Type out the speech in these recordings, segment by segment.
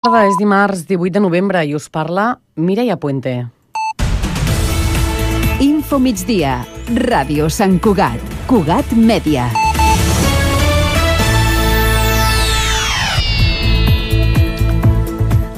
És dimarts 18 de novembre i us parla Mireia Puente. Info migdia, Ràdio Sant Cugat, Cugat Mèdia.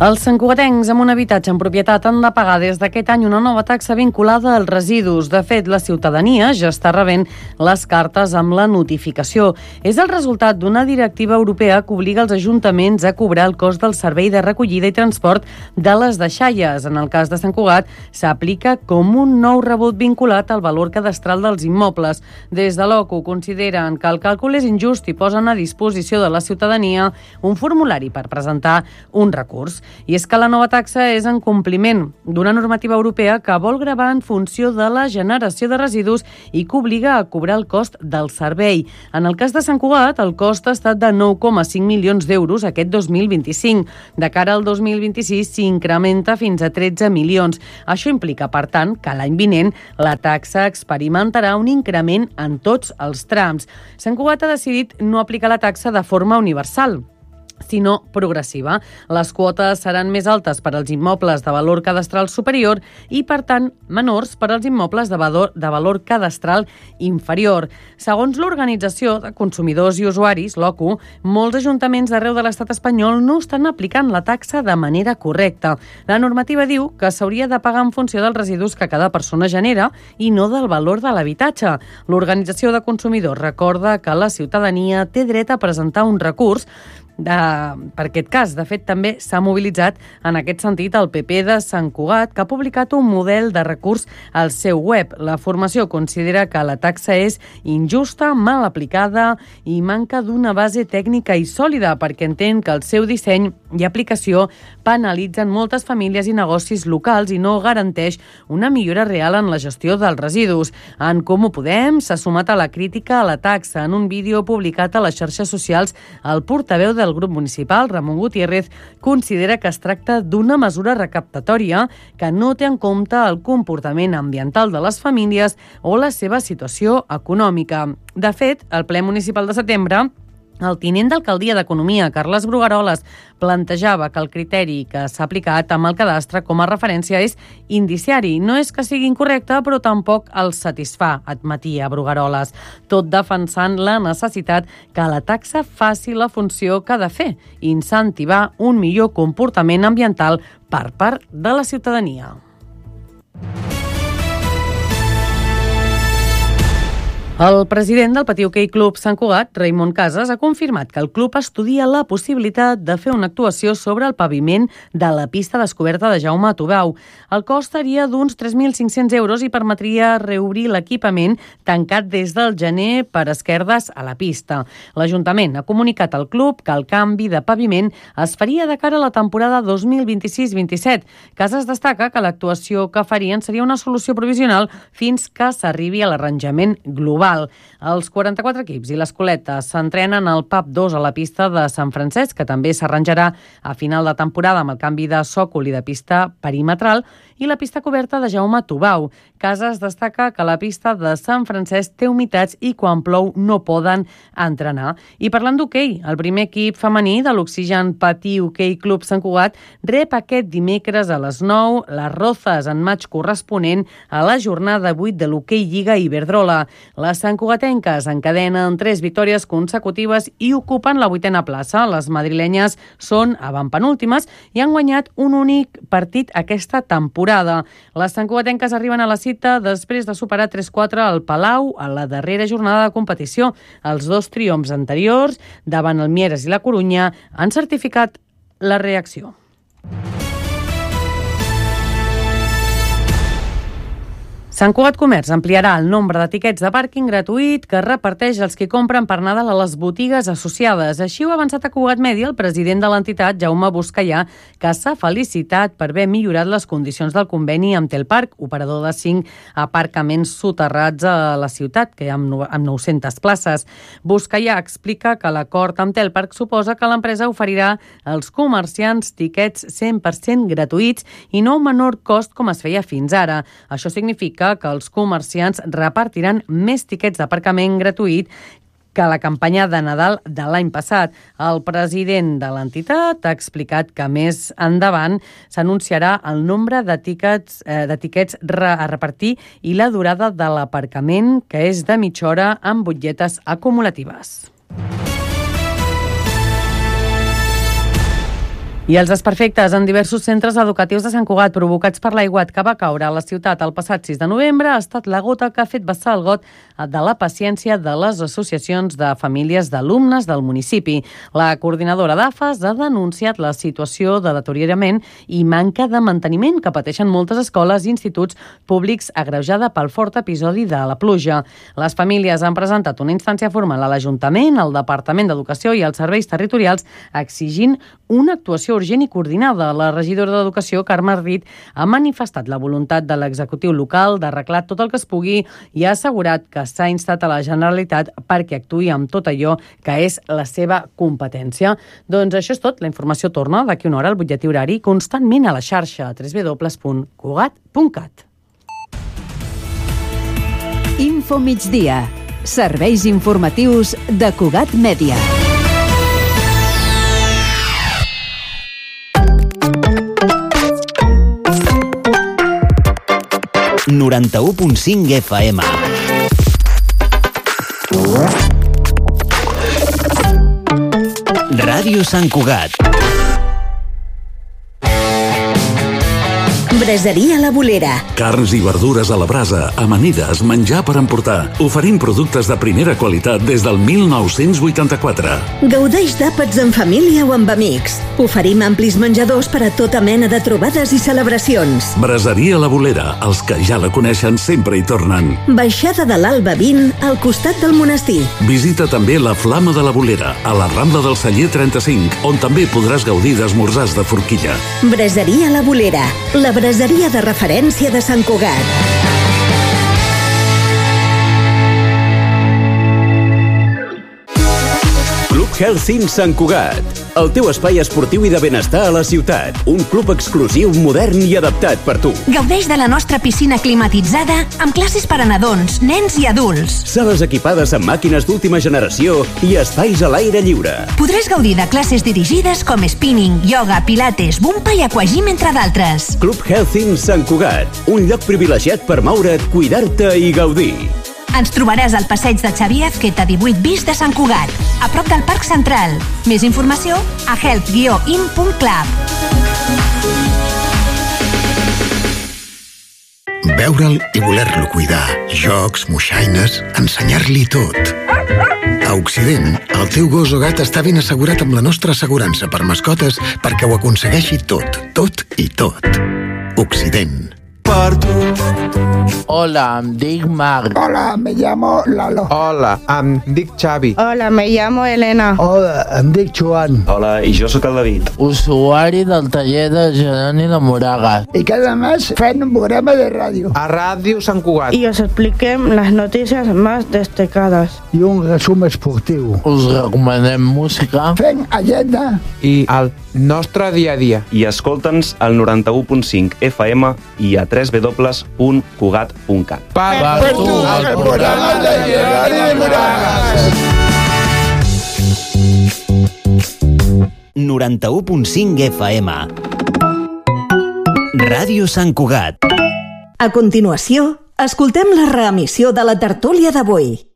Els santcugatencs amb un habitatge en propietat han de pagar des d'aquest any una nova taxa vinculada als residus. De fet, la ciutadania ja està rebent les cartes amb la notificació. És el resultat d'una directiva europea que obliga els ajuntaments a cobrar el cost del servei de recollida i transport de les deixalles. En el cas de Sant Cugat, s'aplica com un nou rebut vinculat al valor cadastral dels immobles. Des de l'OCU consideren que el càlcul és injust i posen a disposició de la ciutadania un formulari per presentar un recurs. I és que la nova taxa és en compliment d'una normativa europea que vol gravar en funció de la generació de residus i que obliga a cobrar el cost del servei. En el cas de Sant Cugat, el cost ha estat de 9,5 milions d'euros aquest 2025. De cara al 2026 s'incrementa fins a 13 milions. Això implica, per tant, que l'any vinent la taxa experimentarà un increment en tots els trams. Sant Cugat ha decidit no aplicar la taxa de forma universal, sinó progressiva. Les quotes seran més altes per als immobles de valor cadastral superior i, per tant, menors per als immobles de valor cadastral inferior. Segons l'Organització de Consumidors i Usuaris, l'OCU, molts ajuntaments d'arreu de l'estat espanyol no estan aplicant la taxa de manera correcta. La normativa diu que s'hauria de pagar en funció dels residus que cada persona genera i no del valor de l'habitatge. L'Organització de Consumidors recorda que la ciutadania té dret a presentar un recurs per aquest cas. De fet, també s'ha mobilitzat en aquest sentit el PP de Sant Cugat, que ha publicat un model de recurs al seu web. La formació considera que la taxa és injusta, mal aplicada i manca d'una base tècnica i sòlida, perquè entén que el seu disseny i aplicació penalitzen moltes famílies i negocis locals i no garanteix una millora real en la gestió dels residus. En Comú Podem s'ha sumat a la crítica a la taxa. En un vídeo publicat a les xarxes socials, el portaveu del grup municipal, Ramon Gutiérrez, considera que es tracta d'una mesura recaptatòria que no té en compte el comportament ambiental de les famílies o la seva situació econòmica. De fet, al ple municipal de setembre, el tinent d'alcaldia d'Economia, Carles Brugaroles, plantejava que el criteri que s'ha aplicat amb el cadastre com a referència és indiciari. No és que sigui incorrecte, però tampoc el satisfà, admetia Brugaroles, tot defensant la necessitat que la taxa faci la funció que ha de fer, incentivar un millor comportament ambiental per part de la ciutadania. El president del Patí Hoquei Club Sant Cugat, Raimon Casas, ha confirmat que el club estudia la possibilitat de fer una actuació sobre el paviment de la pista descoberta de Jaume Tubau. El cost seria d'uns 3.500 euros i permetria reobrir l'equipament tancat des del gener per esquerdes a la pista. L'Ajuntament ha comunicat al club que el canvi de paviment es faria de cara a la temporada 2026-27. Casas destaca que l'actuació que farien seria una solució provisional fins que s'arribi a l'arranjament global. Els 44 equips i l'Escoleta s'entrenen al PAP 2 a la pista de Sant Francesc, que també s'arranjarà a final de temporada amb el canvi de sòcol i de pista perimetral, i la pista coberta de Jaume Tubau. Casas destaca que la pista de Sant Francesc té humitats i quan plou no poden entrenar. I parlant d'hoquei, el primer equip femení de l'Oxigen Patí Hoquei Club Sant Cugat rep aquest dimecres a les 9 les Rozas en matx corresponent a la jornada 8 de l'Hoquei Lliga Iberdrola. Les santcugatenques encadenen 3 victòries consecutives i ocupen la 8a plaça. Les madrilenyes són avantpenúltimes i han guanyat un únic partit aquesta temporada. Les santcugatenques arriben a la cita després de superar 3-4 al Palau a la darrera jornada de competició. Els 2 triomfs anteriors, davant el Mieres i la Corunya, han certificat la reacció. Sant Cugat Comerç ampliarà el nombre de tiquets de pàrquing gratuït que reparteix els que compren per Nadal a les botigues associades. Així ho ha avançat a Cugat Mèdia el president de l'entitat, Jaume Buscallà, que s'ha felicitat per haver millorat les condicions del conveni amb Telparc, operador de 5 aparcaments soterrats a la ciutat, que hi ha amb 900 places. Buscallà explica que l'acord amb Telparc suposa que l'empresa oferirà als comerciants tiquets 100% gratuïts i no un menor cost com es feia fins ara. Això significa que els comerciants repartiran més tiquets d'aparcament gratuït que la campanya de Nadal de l'any passat. El president de l'entitat ha explicat que més endavant s'anunciarà el nombre de tiquets a repartir i la durada de l'aparcament, que és de mitja hora amb butlletes acumulatives. I els desperfectes en diversos centres educatius de Sant Cugat provocats per l'aiguat que va caure a la ciutat el passat 6 de novembre ha estat la gota que ha fet vessar el got de la paciència de les associacions de famílies d'alumnes del municipi. La coordinadora d'AFAS ha denunciat la situació de deteriorament i manca de manteniment que pateixen moltes escoles i instituts públics agreujada pel fort episodi de la pluja. Les famílies han presentat una instància formal a l'Ajuntament, al Departament d'Educació i als serveis territorials exigint una actuació urgent i coordinada. La regidora d'Educació, Carme Ardit, ha manifestat la voluntat de l'executiu local d'arreglar tot el que es pugui i ha assegurat que s'ha instat a la Generalitat perquè actuï amb tot allò que és la seva competència. Doncs això és tot. La informació torna d'aquí una hora al butlletí horari constantment a la xarxa www.cugat.cat. Info migdia. Serveis informatius de Cugat Mèdia. ...91.5 FM. Ràdio Sant Cugat. Braseria La Bolera. Carns i verdures a la brasa, amanides, menjar per emportar. Oferim productes de primera qualitat des del 1984. Gaudeix d'àpats en família o amb amics. Oferim amplis menjadors per a tota mena de trobades i celebracions. Braseria La Bolera. Els que ja la coneixen sempre hi tornen. Baixada de l'Alba 20, al costat del monestir. Visita també la Flama de la Bolera, a la Rambla del Celler 35, on també podràs gaudir d'esmorzars de forquilla. Braseria La Bolera. La braseria de referència de Sant Cugat. Club Health Sant Cugat. El teu espai esportiu i de benestar a la ciutat. Un club exclusiu, modern i adaptat per tu. Gaudeix de la nostra piscina climatitzada amb classes per a nadons, nens i adults. Sales equipades amb màquines d'última generació i espais a l'aire lliure. Podràs gaudir de classes dirigides com spinning, yoga, pilates, bumpa i aquagym, entre d'altres. Club Health Sant Cugat. Un lloc privilegiat per moure't, cuidar-te i gaudir. Ens trobaràs al passeig de Xavier Azqueta 18 bis de Sant Cugat, a prop del Parc Central. Més informació a health-in.club. Veure'l i voler-lo cuidar. Jocs, moixaines, ensenyar-li tot. A Occident, el teu gos o gat està ben assegurat amb la nostra assegurança per mascotes perquè ho aconsegueixi tot, tot i tot. Occident. Hola, em dic Marc. Hola, me llamo Lalo. Hola, em dic Xavi. Hola, me llamo Elena. Hola, em dic Joan. Hola, i jo sóc el David. Usuari del taller de Geroni de Moragas. Y cada mes fan un programa de radio. A Ràdio Sant Cugat. Y os expliquem las noticias más destacadas. I un resum esportiu. Us recomanem música. Fem agenda. I el nostre dia a dia. I escolta'ns al 91.5 FM i a www.cugat.cat. Per tu, el programa de Geroni de Moragas. 91.5 FM. Ràdio Sant Cugat. A continuació, escoltem la reemissió de la tertúlia d'avui.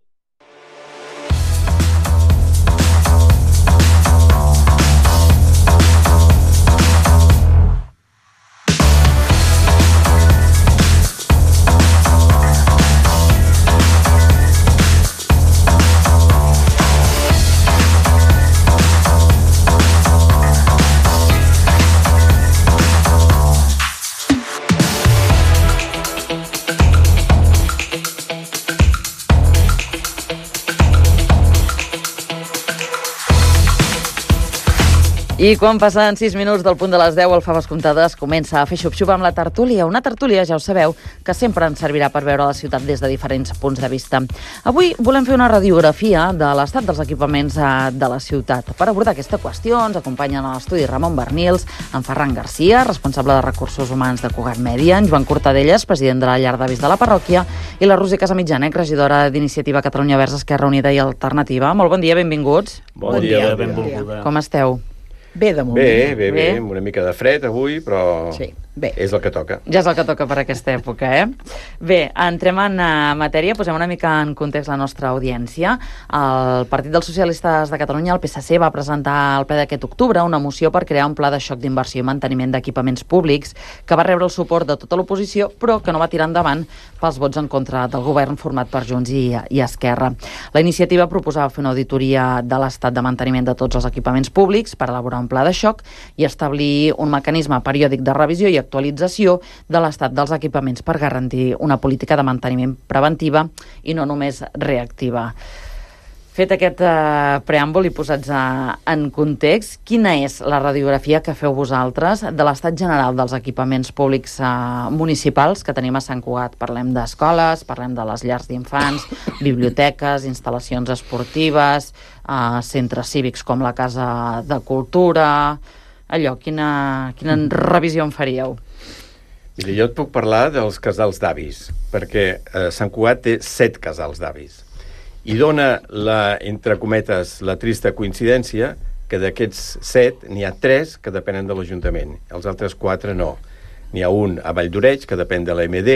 I quan passen 6 minuts del punt de les 10, el Faves Comptades comença a fer xup-xup amb la tertúlia. Una tertúlia, ja ho sabeu, que sempre ens servirà per veure la ciutat des de diferents punts de vista. Avui volem fer una radiografia de l'estat dels equipaments de la ciutat. Per abordar aquesta qüestió ens acompanyen a l'estudi Ramon Bernils, en Ferran Garcia, responsable de Recursos Humans de Cugat Mèdia, en Joan Cortadellas, president de la Llar d'Avis de la parròquia, i la Roser Casamitjana, regidora d'Iniciativa Catalunya Verds, Esquerra Unida i Alternativa. Molt bon dia, benvinguts. Bon dia, benvolguda. Com esteu? Bé, de moment. Bé, amb una mica de fred avui, però sí, bé. És el que toca. Ja és el que toca per aquesta època, Bé, entrem en matèria, posem una mica en context la nostra audiència. El Partit dels Socialistes de Catalunya, el PSC, va presentar al ple d'aquest octubre una moció per crear un pla de xoc d'inversió i manteniment d'equipaments públics que va rebre el suport de tota l'oposició, però que no va tirar endavant pels vots en contra del govern format per Junts i Esquerra. La iniciativa proposava fer una auditoria de l'estat de manteniment de tots els equipaments públics per elaborar un pla de xoc i establir un mecanisme periòdic de revisió i actualització de l'estat dels equipaments per garantir una política de manteniment preventiva i no només reactiva. Fet aquest preàmbul i posats en context, quina és la radiografia que feu vosaltres de l'estat general dels equipaments públics municipals que tenim a Sant Cugat? Parlem d'escoles, parlem de les llars d'infants, biblioteques, instal·lacions esportives, centres cívics com la Casa de Cultura. Allò, quina revisió en faríeu? Mira, jo et puc parlar dels casals d'avis, perquè Sant Cugat té 7 casals d'avis. I dona, entre cometes, la trista coincidència que d'aquests 7 n'hi ha 3 que depenen de l'Ajuntament. Els altres 4 no. N'hi ha un a Valldoreix, que depèn de l'AMD,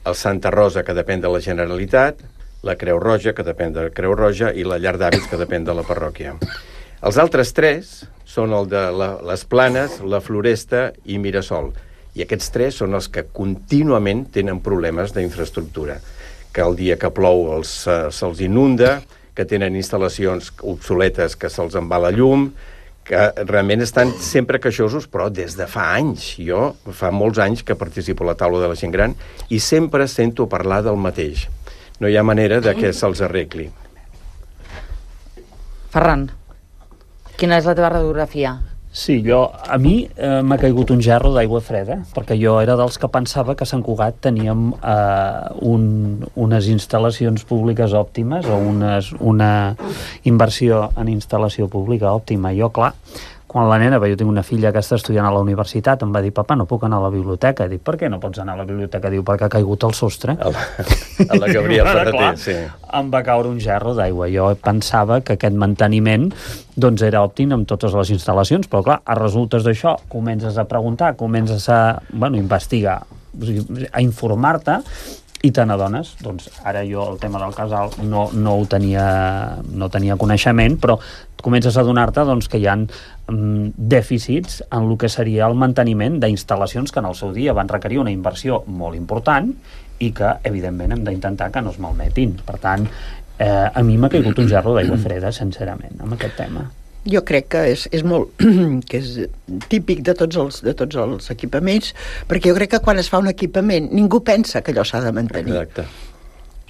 el Santa Rosa, que depèn de la Generalitat, la Creu Roja, que depèn de la Creu Roja, i la Llar d'Avis, que depèn de la parròquia. Els altres 3 són el de les Planes, la Floresta i Mirasol. I aquests 3 són els que contínuament tenen problemes d'infraestructura, que el dia que plou se'ls inunda, que tenen instal·lacions obsoletes que se'ls en va la llum, que realment estan sempre queixosos, però des de fa anys. Jo fa molts anys que participo a la taula de la gent gran i sempre sento parlar del mateix. No hi ha manera de que se'ls arregli. Ferran, quina és la teva radiografia? Sí, a mi m'ha caigut un gerro d'aigua freda, perquè jo era dels que pensava que a Sant Cugat teníem unes instal·lacions públiques òptimes o una inversió en instal·lació pública òptima. Jo, clar, quan la nena, jo tinc una filla que està estudiant a la universitat, em va dir, papa, no puc anar a la biblioteca. Dic, per què no pots anar a la biblioteca? Diu, perquè ha caigut el sostre. A la Gabriel Ferreter, sí. Em va caure un gerro d'aigua. Jo pensava que aquest manteniment era òptim amb totes les instal·lacions, però clar, a resultes d'això comences a preguntar, comences a investigar, a informar-te, i te n'adones. Doncs ara jo el tema del casal no tenia coneixement, però comences a adonar-te que hi ha dèficits en el que seria el manteniment d'instal·lacions que en el seu dia van requerir una inversió molt important i que, evidentment, hem d'intentar que no es malmetin. Per tant, a mi m'ha caigut un gerro d'aigua freda, sincerament, amb aquest tema. Jo crec que és molt que és típic de tots els equipaments, perquè jo crec que quan es fa un equipament ningú pensa que allò s'ha de mantenir. Exacte.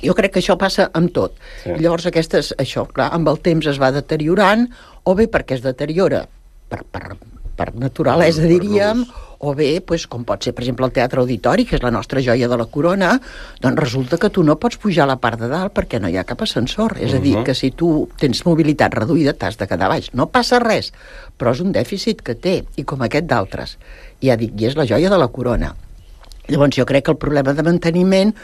Jo crec que això passa amb tot. Sí. Llavors això, clar, amb el temps es va deteriorant, o bé perquè es deteriora per naturalesa, diríem, o bé, com pot ser, per exemple, el Teatre Auditori, que és la nostra joia de la corona, doncs resulta que tu no pots pujar a la part de dalt perquè no hi ha cap ascensor. És a dir, que si tu tens mobilitat reduïda t'has de quedar baix. No passa res, però és un dèficit que té, i com aquest d'altres. Ja dic, i és la joia de la corona. Llavors jo crec que el problema de manteniment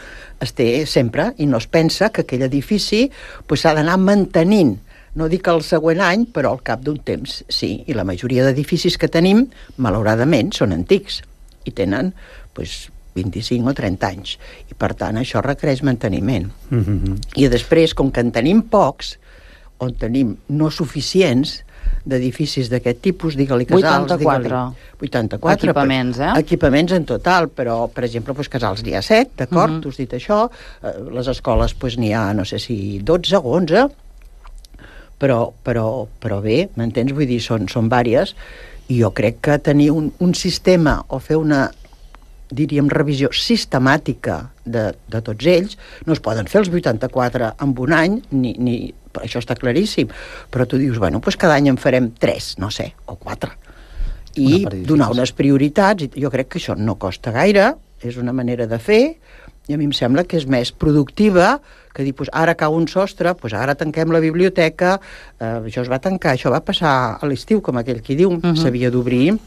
es té sempre, i no es pensa que aquell edifici s'ha d'anar mantenint. No dic el següent any, però al cap d'un temps sí, i la majoria d'edificis que tenim, malauradament, són antics i tenen 25 o 30 anys, i per tant això requereix manteniment. I després, com que en tenim pocs, on tenim no suficients d'edificis d'aquest tipus, digue-li casals... 84 equipaments, equipaments en total, però, per exemple, casals n'hi ha 7, d'acord? Tu has dit això, les escoles n'hi ha, no sé si 12 o 11, però bé, m'entens? Vull dir, són vàries, i jo crec que tenir un sistema o fer una, diríem, revisió sistemàtica de tots ells, no es poden fer els 84 en un any, ni això està claríssim, però tu dius, bueno, doncs cada any en farem 3, no sé, o 4, i donar unes prioritats, i jo crec que això no costa gaire, és una manera de fer, i a mi em sembla que és més productiva que dir, doncs ara cau un sostre, doncs ara tanquem la biblioteca, això es va tancar, això va passar a l'estiu, com aquell qui diu, s'havia d'obrir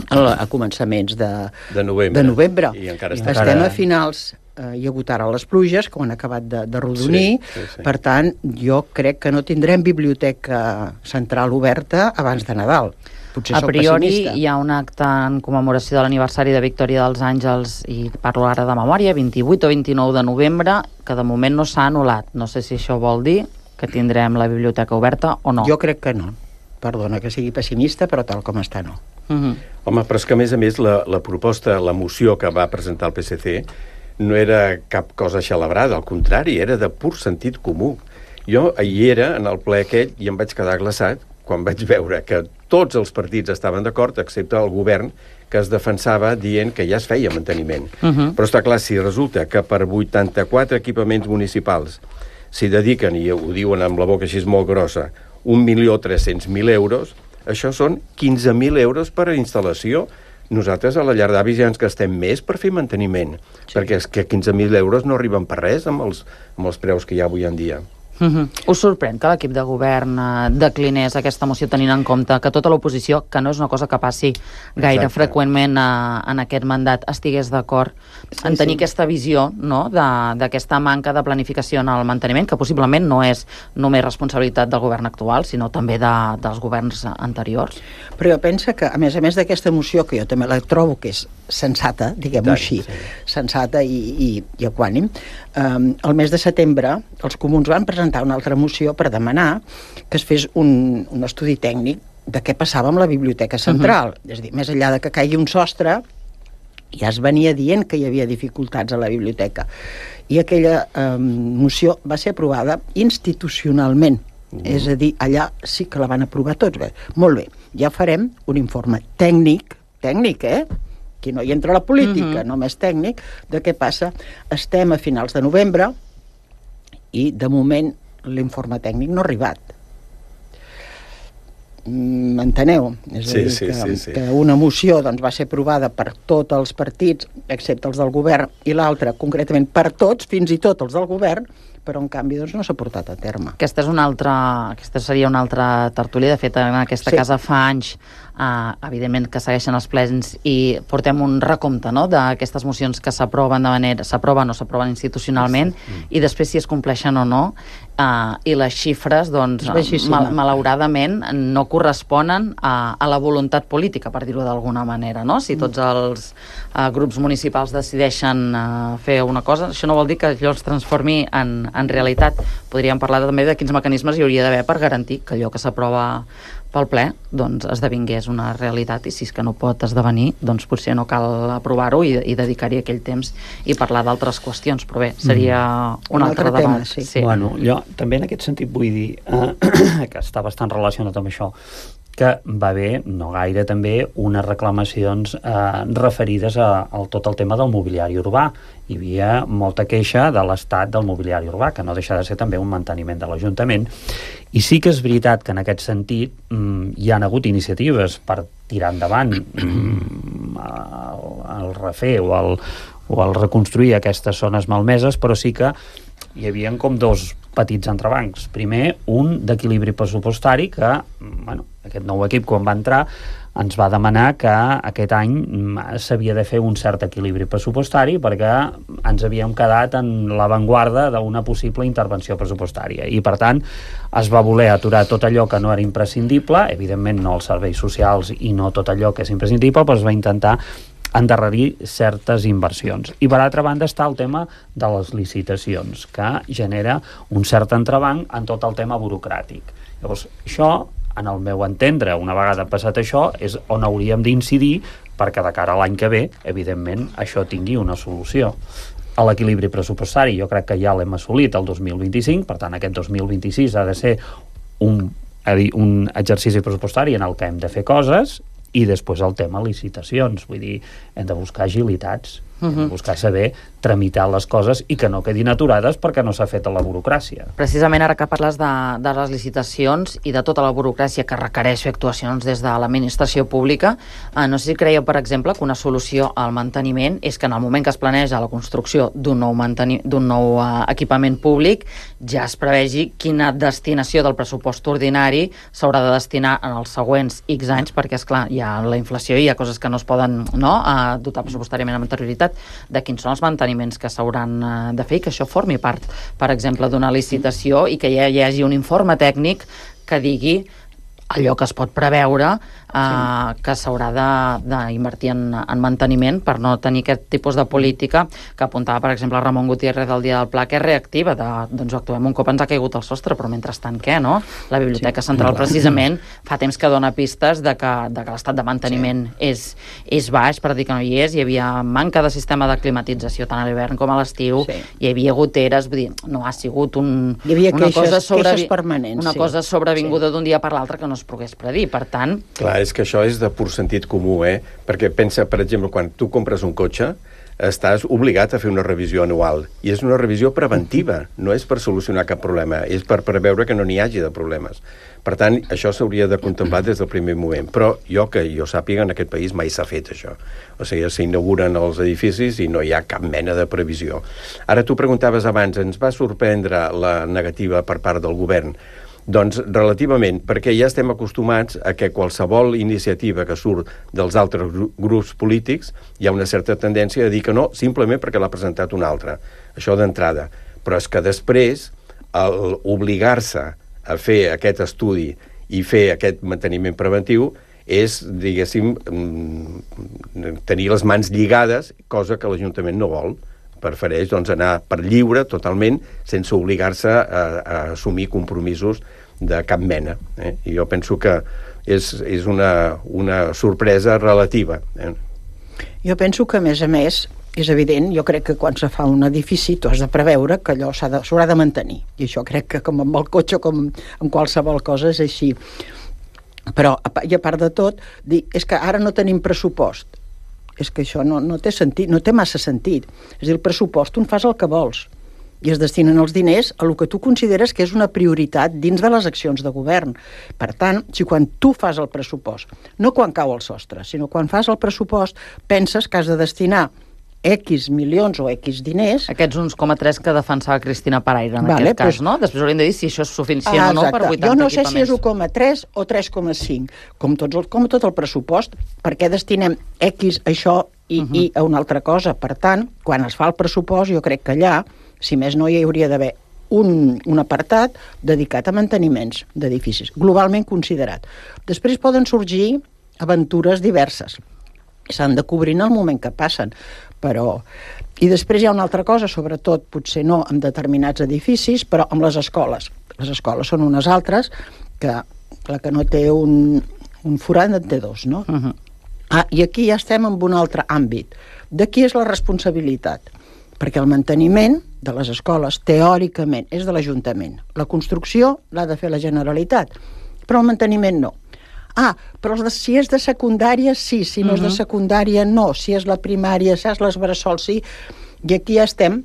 a començaments de novembre. I encara estem a finals, hi ha hagut ara les pluges, que ho han acabat de rodonir, per tant, jo crec que no tindrem biblioteca central oberta abans de Nadal. Potser a priori hi ha un acte en commemoració de l'aniversari de Victòria dels Àngels, i parlo ara de memòria, 28 o 29 de novembre, que de moment no s'ha anul·lat. No sé si això vol dir que tindrem la biblioteca oberta o no. Jo crec que no. Perdona que sigui pessimista, però tal com està no. Home, però és que a més la proposta, la moció que va presentar el PSC no era cap cosa celebrada, al contrari, era de pur sentit comú. Jo hi era en el ple aquest i em vaig quedar glaçat quan vaig veure que tots els partits estaven d'acord, excepte el govern, que es defensava dient que ja es feia manteniment. Però està clar, si resulta que per 84 equipaments municipals s'hi dediquen, i ho diuen amb la boca així molt grossa, 1.300.000 euros, això són 15.000 euros per a instal·lació. Nosaltres a la llar d'avis ja ens gastem més per fer manteniment, perquè és que 15.000 euros no arriben per res amb els preus que hi ha avui en dia. Us sorprèn que l'equip de govern declinés aquesta moció tenint en compte que tota l'oposició, que no és una cosa que passi gaire freqüentment en aquest mandat, estigués d'acord en tenir aquesta visió, no?, d'aquesta manca de planificació en el manteniment, que possiblement no és només responsabilitat del govern actual, sinó també dels governs anteriors? Però jo penso que, a més d'aquesta moció, que jo també la trobo que és sensata, diguem-ho així, sensata i equànim, el mes de setembre els comuns van presentar una altra moció per demanar que es fes un estudi tècnic de què passava amb la biblioteca central. És a dir, més enllà de que caigui un sostre, ja es venia dient que hi havia dificultats a la biblioteca. I aquella moció va ser aprovada institucionalment. És a dir, allà sí que la van aprovar tots. Bé, molt bé, ja farem un informe tècnic, que no hi entra la política, només tècnic, de què passa. Estem a finals de novembre i, de moment, l'informe tècnic no ha arribat. M'enteneu? És a dir, que una moció va ser aprovada per tots els partits, excepte els del govern, i l'altra, concretament, per tots, fins i tot els del govern, però en canvi no s'ha portat a terme. Aquesta seria una altra tertúlia. De fet, en aquesta casa fa anys, evidentment, que segueixen els plens i portem un recompte, no?, d'aquestes mocions que s'aproven o s'aproven institucionalment, i després si es compleixen o no, i les xifres, doncs, malauradament, no corresponen a la voluntat política, per dir-ho d'alguna manera, no? Si tots els grups municipals decideixen fer una cosa, això no vol dir que allò es transformi en realitat. Podríem parlar també de quins mecanismes hi hauria d'haver per garantir que allò que s'aprova pel ple, doncs, esdevingués una realitat, i si és que no pot esdevenir, doncs potser no cal aprovar-ho i dedicar-hi aquell temps i parlar d'altres qüestions, però bé, seria un altre debat. Bueno, jo també en aquest sentit vull dir que està bastant relacionat amb això, que va haver, no gaire també, unes reclamacions referides a tot el tema del mobiliari urbà. Hi havia molta queixa de l'estat del mobiliari urbà, que no deixa de ser també un manteniment de l'Ajuntament. I sí que és veritat que en aquest sentit hi ha hagut iniciatives per tirar endavant el refer o el reconstruir aquestes zones malmeses, però sí que hi havia com dos petits entrebancs. Primer, un d'equilibri pressupostari que, bueno, aquest nou equip quan va entrar ens va demanar que aquest any s'havia de fer un cert equilibri pressupostari perquè ens havíem quedat en l'avantguarda d'una possible intervenció pressupostària i per tant es va voler aturar tot allò que no era imprescindible, evidentment no els serveis socials i no tot allò que és imprescindible, però es va intentar endarrerir certes inversions. I per altra banda està el tema de les licitacions, que genera un cert entrebanc en tot el tema burocràtic. Llavors, això, en el meu entendre, una vegada passat això, és on hauríem d'incidir perquè de cara a l'any que ve, evidentment, això tingui una solució. A l'equilibri pressupostari jo crec que ja l'hem assolit el 2025, per tant aquest 2026 ha de ser un exercici pressupostari en el que hem de fer coses i després el tema licitacions, vull dir, hem de buscar agilitats. buscar saber tramitar les coses i que no quedin aturades perquè no s'ha fet a la burocràcia. Precisament ara que parles de les licitacions i de tota la burocràcia que requereix fer actuacions des de l'administració pública, no sé si creieu, per exemple, que una solució al manteniment és que en el moment que es planeja la construcció d'un nou equipament públic ja es prevegi quina destinació del pressupost ordinari s'haurà de destinar en els següents X anys, perquè, esclar, hi ha la inflació i hi ha coses que no es poden dotar pressupostàriament amb anterioritat, de quins són els manteniments que s'hauran de fer i que això formi part, per exemple, d'una licitació i que hi hagi un informe tècnic que digui allò que es pot preveure que s'haurà d'invertir en manteniment per no tenir aquest tipus de política que apuntava, per exemple, Ramon Gutiérrez del dia del Pla, que és reactiva, doncs actuem un cop ens ha caigut el sostre, però mentrestant què, no? La Biblioteca Central precisament fa temps que dona pistes de que l'estat de manteniment és baix, per dir que no hi és, hi havia manca de sistema de climatització tant a l'hivern com a l'estiu, hi havia goteres, vull dir, no ha sigut una cosa sobrevinguda d'un dia per l'altre que no es pogués predir, per tant... Clar, és que això és de pur sentit comú, perquè pensa, per exemple, quan tu compres un cotxe, estàs obligat a fer una revisió anual, i és una revisió preventiva, no és per solucionar cap problema, és per preveure que no n'hi hagi de problemes. Per tant, això s'hauria de contemplar des del primer moment, però que jo sàpiga, en aquest país mai s'ha fet això. O sigui, s'inauguren els edificis i no hi ha cap mena de previsió. Ara tu preguntaves abans, ens va sorprendre la negativa per part del govern? Doncs relativament, perquè ja estem acostumats a que qualsevol iniciativa que surt dels altres grups polítics hi ha una certa tendència a dir que no, simplement perquè l'ha presentat un altre. Això d'entrada. Però és que després, obligar-se a fer aquest estudi i fer aquest manteniment preventiu és, diguéssim, tenir les mans lligades, cosa que l'Ajuntament no vol. Prefereix anar per lliure totalment sense obligar-se a assumir compromisos de cap mena. I jo penso que és una sorpresa relativa. Jo penso que, a més, és evident, jo crec que quan se fa un edifici tu has de preveure que allò s'haurà de mantenir. I això crec que com amb el cotxe, com amb qualsevol cosa, és així. Però, i a part de tot, dir, és que ara no tenim pressupost. És que això no té sentit, no té massa sentit. És a dir, el pressupost tu en fas el que vols i es destinen els diners a el que tu consideres que és una prioritat dins de les accions de govern. Per tant, si quan tu fas el pressupost, no quan cau el sostre, sinó quan fas el pressupost, penses que has de destinar X milions o X diners... Aquests 1,3 que defensava Cristina Paraire en aquest cas, no? Després hauríem de dir si això és suficient o no per 80 equipaments. Jo no sé si és 1,3 o 3,5, com tot el pressupost, perquè destinem X a això i a una altra cosa. Per tant, quan es fa el pressupost, jo crec que allà, si més no, hi hauria d'haver un apartat dedicat a manteniments d'edificis, globalment considerat. Després poden sorgir aventures diverses. S'han de cobrir en el moment que passen, però... I després hi ha una altra cosa, sobretot, potser no amb determinats edificis, però amb les escoles. Les escoles són unes altres, que la que no té un forat en té dos, no? I aquí ja estem en un altre àmbit. De qui és la responsabilitat? Perquè el manteniment de les escoles, teòricament, és de l'Ajuntament. La construcció l'ha de fer la Generalitat, però el manteniment no. Però si és de secundària, sí. Si no és de secundària, no. Si és la primària, si és les bressol, sí. I aquí ja estem,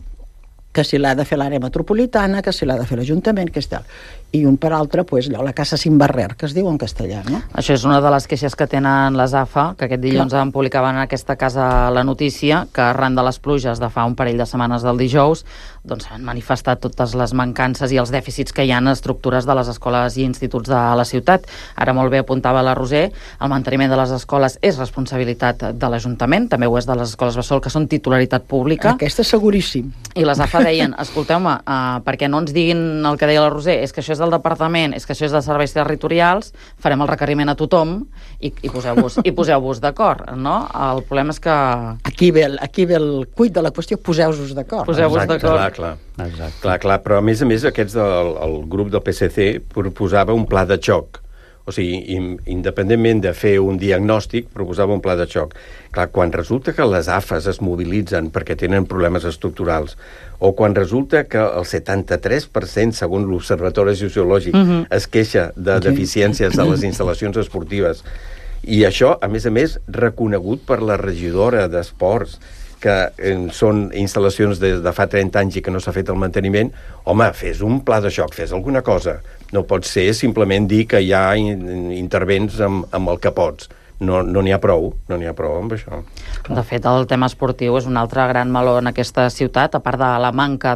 que si l'ha de fer l'àrea metropolitana, que si l'ha de fer l'Ajuntament, que és tal. I un per altre, la casa sin barrer, que es diu en castellà, no? Això és una de les queixes que tenen les AFA, que aquest dilluns en publicaven en aquesta casa la notícia, que arran de les pluges de fa un parell de setmanes del dijous, doncs han manifestat totes les mancances i els dèficits que hi ha en estructures de les escoles i instituts de la ciutat. Ara molt bé apuntava la Roser, el manteniment de les escoles és responsabilitat de l'Ajuntament, també ho és de les escoles bressol, que són titularitat pública. Aquesta és seguríssim. I les AFA deien, escolteu-me, perquè no ens diguin el que deia la Roser, és que això és del departament, és que això és de serveis territorials, farem el requeriment a tothom i poseu-vos d'acord, no? El problema és que... Aquí ve el cuit de la qüestió, poseu-vos d'acord. Poseu-vos d'acord. Clar, però a més el grup del PSC proposava un pla de xoc. O sigui, independentment de fer un diagnòstic, proposava un pla de xoc. Clar, quan resulta que les AFAs es mobilitzen perquè tenen problemes estructurals, o quan resulta que el 73%, segons l'Observatori Sociològic, es queixa de deficiències de les instal·lacions esportives, i això, a més, reconegut per la regidora d'Esports, que són instal·lacions de fa 30 anys i que no s'ha fet el manteniment, home, fes un pla de xoc, fes alguna cosa. No pot ser simplement dir que ja intervens amb el que pots. No n'hi ha prou amb això. De fet, el tema esportiu és un altre gran meló en aquesta ciutat, a part de la manca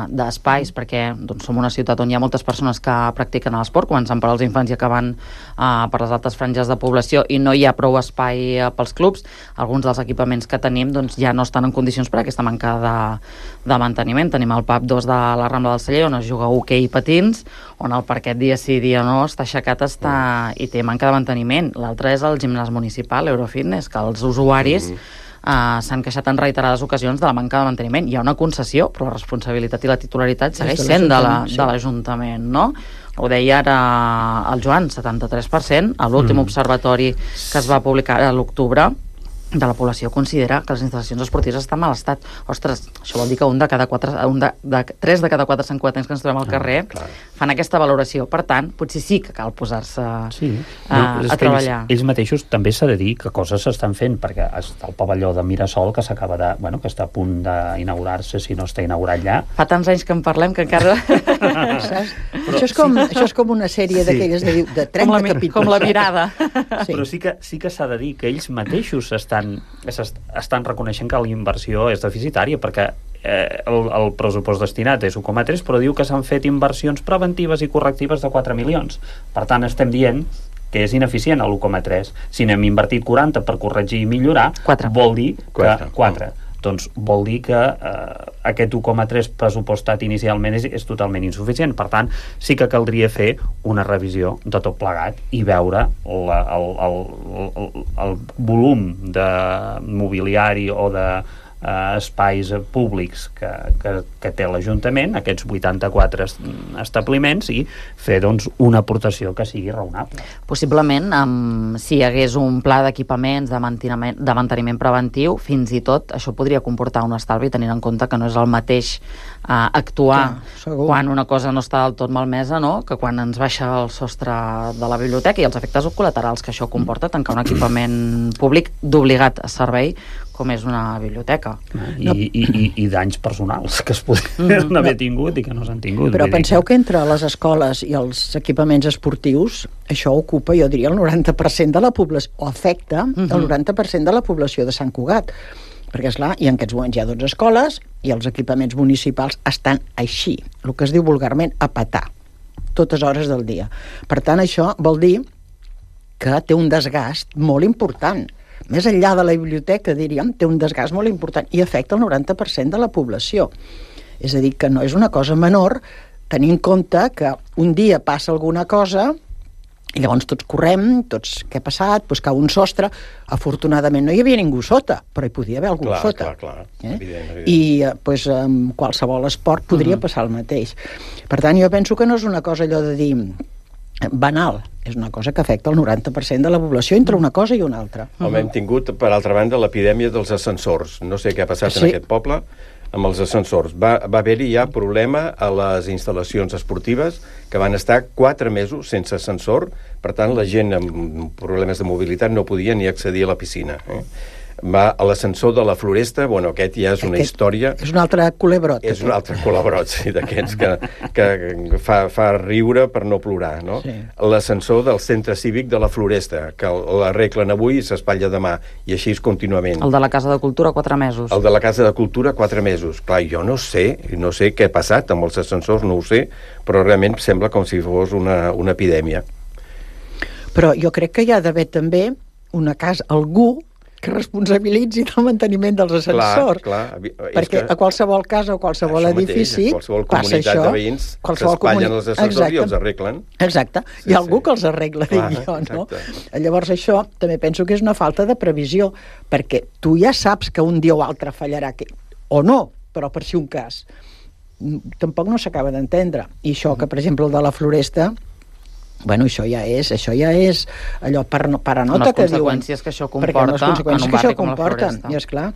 d'espais, perquè som una ciutat on hi ha moltes persones que practiquen l'esport, començant per als infants i acabant per les altres franges de població, i no hi ha prou espai pels clubs. Alguns dels equipaments que tenim ja no estan en condicions per aquesta manca de manteniment. Tenim el PAP 2 de la Rambla del Celler, on es juga hoquei i patins, on el parquet dia sí dia no està aixecat i té manca de manteniment. L'altre és el gimnàs municipal, Eurofitness, que els usuaris s'han queixat en reiterades ocasions de la manca de manteniment. Hi ha una concessió, però la responsabilitat i la titularitat segueix sent de l'Ajuntament, no? Ho deia ara el Joan, 73%, a l'últim observatori que es va publicar a l'octubre, de la població considera que les instal·lacions esportives estan en mal estat. Ostres, això vol dir que 3 de cada 4 santcugatencs que ens trobem al carrer fan aquesta valoració. Per tant, potser sí que cal posar-se a treballar. Ells mateixos també s'ha de dir que coses s'estan fent, perquè està el pavelló de Mirasol que s'acaba que està a punt d'inaugurar-se, si no està inaugurat ja. Fa tants anys que en parlem que encara... Això és com una sèrie d'aquelles de 30 capítols. Com la mirada. Però sí que s'ha de dir que ells mateixos estan reconeixent que la inversió és deficitària, perquè el pressupost destinat és 1,3, però diu que s'han fet inversions preventives i correctives de 4 milions. Per tant, estem dient que és ineficient l'1,3. Si n'hem invertit 40 per corregir i millorar, vol dir que 4. Doncs vol dir que aquest 1,3 pressupostat inicialment és totalment insuficient. Per tant, sí que caldria fer una revisió de tot plegat i veure el volum de mobiliari o de espais públics que té l'Ajuntament, aquests 84 establiments, i fer una aportació que sigui raonable. Possiblement, si hi hagués un pla d'equipaments de manteniment preventiu, fins i tot això podria comportar un estalvi, tenint en compte que no és el mateix actuar quan una cosa no està del tot malmesa, que quan ens baixa el sostre de la biblioteca i els efectes col·laterals que això comporta tancar un equipament públic d'obligat servei com és una biblioteca. I danys personals que es podrien haver tingut i que no s'han tingut. Però penseu que entre les escoles i els equipaments esportius això ocupa, jo diria, el 90% de la població, o afecta el 90% de la població de Sant Cugat. Perquè, esclar, i en aquests moments hi ha 12 escoles i els equipaments municipals estan així, el que es diu vulgarment a petar, totes hores del dia. Per tant, això vol dir que té un desgast molt important. Més enllà de la biblioteca, diríem, té un desgast molt important i afecta el 90% de la població. És a dir, que no és una cosa menor, tenint en compte que un dia passa alguna cosa i llavors tots correm, què ha passat, cau un sostre, afortunadament no hi havia ningú sota, però hi podia haver algú sota. Clar, evident. I amb qualsevol esport podria passar el mateix. Per tant, jo penso que no és una cosa allò de dir banal, és una cosa que afecta el 90% de la població entre una cosa i una altra. Home, hem tingut, per altra banda, l'epidèmia dels ascensors. No sé què ha passat en aquest poble amb els ascensors. Va haver-hi ja problema a les instal·lacions esportives que van estar 4 mesos sense ascensor, per tant la gent amb problemes de mobilitat no podia ni accedir a la piscina. Va a l'ascensor de la Floresta, aquest ja és una història... És un altre culebrot. És un altre culebrot, sí, d'aquests que fa riure per no plorar, no? Sí. L'ascensor del centre cívic de la Floresta, que l'arreglen avui i s'espatlla demà, i així és contínuament. El de la Casa de Cultura, 4 mesos. El de la Casa de Cultura, 4 mesos. Clar, jo no sé què ha passat amb els ascensors, no ho sé, però realment sembla com si fos una epidèmia. Però jo crec que hi ha d'haver també una casa, algú que responsabilitzi del manteniment dels ascensors. Clar. Perquè a qualsevol casa o qualsevol edifici passa això. Qualsevol comunitat de veïns s'espatllen els ascensors i els arreglen. Exacte. Hi ha algú que els arregla, dic jo, no? Llavors això també penso que és una falta de previsió, perquè tu ja saps que un dia o altre fallarà, o no, però per si un cas. Tampoc no s'acaba d'entendre. I això que, per exemple, el de la Floresta... això ja és allò paranota que diuen. Les conseqüències que això comporta en un barri com la Floresta. I esclar,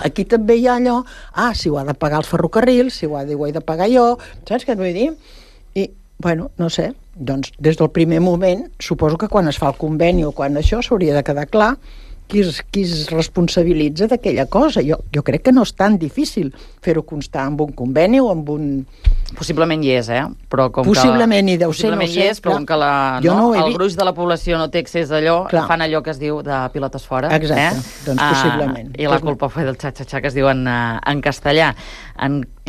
aquí també hi ha allò, si ho ha de pagar el ferrocarril, si ho he de pagar jo, saps què et vull dir? I, no sé, doncs des del primer moment, suposo que quan es fa el conveni o quan això s'hauria de quedar clar qui es responsabilitza d'aquella cosa. Jo crec que no és tan difícil fer-ho constar amb un conveni o amb un... Possiblement hi és, però com possiblement hi deu ser, no sé. Hi és, però com que el gruix de la població no té accés a allò, fan allò que es diu de pilotes fora. Exacte, doncs possiblement. I la culpa fue del xa-xa-xa, que es diu en castellà.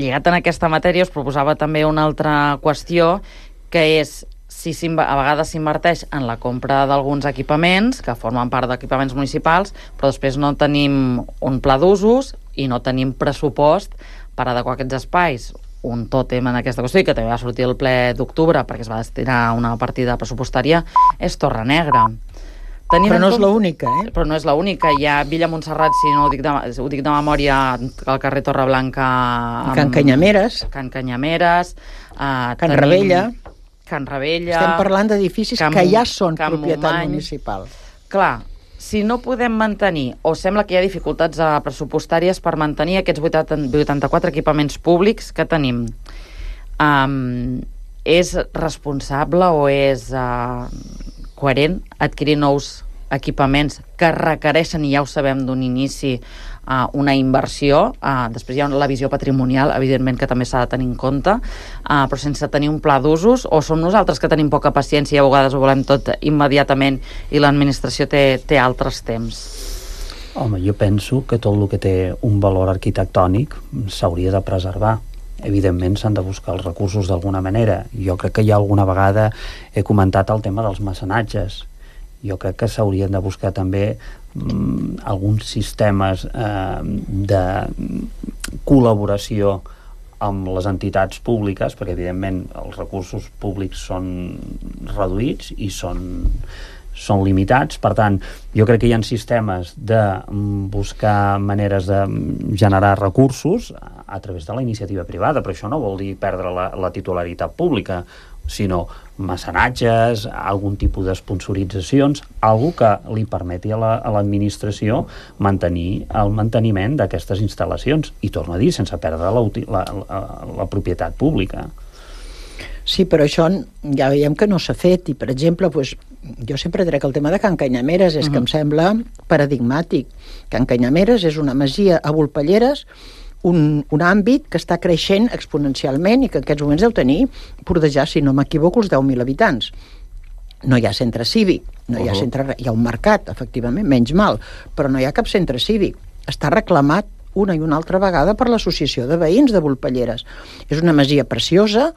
Lligat en aquesta matèria, us proposava també una altra qüestió, que és si a vegades s'inverteix en la compra d'alguns equipaments que formen part d'equipaments municipals, però després no tenim un pla d'usos i no tenim pressupost per adequar aquests espais. Un tòtem en aquesta qüestió, i que també va sortir el ple d'octubre perquè es va destinar una partida pressupostària, és Torrenegra. Però no és l'única, Però no és l'única. Hi ha Villa Montserrat, si no ho dic de memòria, al carrer Torreblanca... Can Canyameres. Can Canyameres. Can Rebella. Can Rebella... Estem parlant d'edificis que ja són propietat municipal. Clar, si no podem mantenir, o sembla que hi ha dificultats pressupostàries per mantenir aquests 84 equipaments públics que tenim, és responsable o és coherent adquirir nous equipaments que requereixen, i ja ho sabem d'un inici, una inversió, després hi ha la visió patrimonial, evidentment que també s'ha de tenir en compte, però sense tenir un pla d'usos, o som nosaltres que tenim poca paciència i a vegades ho volem tot immediatament i l'administració té altres temps? Home, jo penso que tot el que té un valor arquitectònic s'hauria de preservar. Evidentment s'han de buscar els recursos d'alguna manera. Jo crec que ja alguna vegada he comentat el tema dels mecenatges. Jo crec que s'haurien de buscar també alguns sistemes de col·laboració amb les entitats públiques, perquè evidentment els recursos públics són reduïts i són limitats. Per tant, jo crec que hi ha sistemes de buscar maneres de generar recursos a través de la iniciativa privada, però això no vol dir perdre la titularitat pública, sinó mecenatges, algun tipus d'esponsoritzacions, algo que li permeti a l'administració mantenir el manteniment d'aquestes instal·lacions, i torno a dir, sense perdre la propietat pública. Sí, però això ja veiem que no s'ha fet, i per exemple, jo sempre trec el tema de Can Canyameres, és que em sembla paradigmàtic. Can Canyameres és una masia a Volpelleres, un àmbit que està creixent exponencialment i que en aquests moments deu tenir, portejar, si no m'equivoco, els 10.000 habitants. No hi ha centre cívic, hi ha un mercat, efectivament, menys mal, però no hi ha cap centre cívic. Està reclamat una i una altra vegada per l'Associació de Veïns de Volpelleres. És una masia preciosa,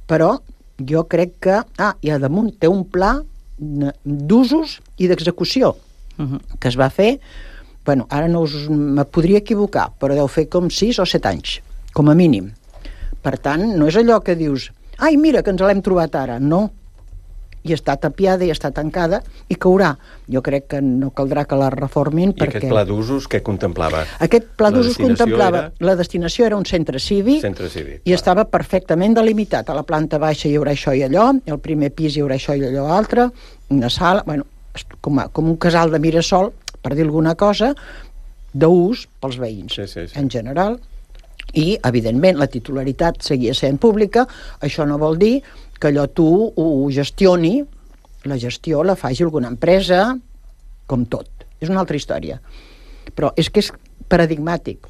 però jo crec que... i a damunt té un pla d'usos i d'execució que es va fer. Bueno, ara me podria equivocar, però deu fer com 6 o 7 anys, com a mínim. Per tant, no és allò que dius ai, mira, que ens l'hem trobat ara. No. I està tapiada i està tancada i caurà. Jo crec que no caldrà que la reformin perquè... I aquest pla d'usos què contemplava? Aquest pla d'usos contemplava... La destinació era un centre cívic i estava perfectament delimitat. A la planta baixa hi haurà això i allò, al primer pis hi haurà això i allò altre, una sala... Bueno, com un casal de Mirasol, per dir alguna cosa, d'ús pels veïns, en general. I, evidentment, la titularitat seguia sent pública. Això no vol dir que allò tu ho gestioni, la gestió la faci alguna empresa, com tot. És una altra història. Però és que és paradigmàtic.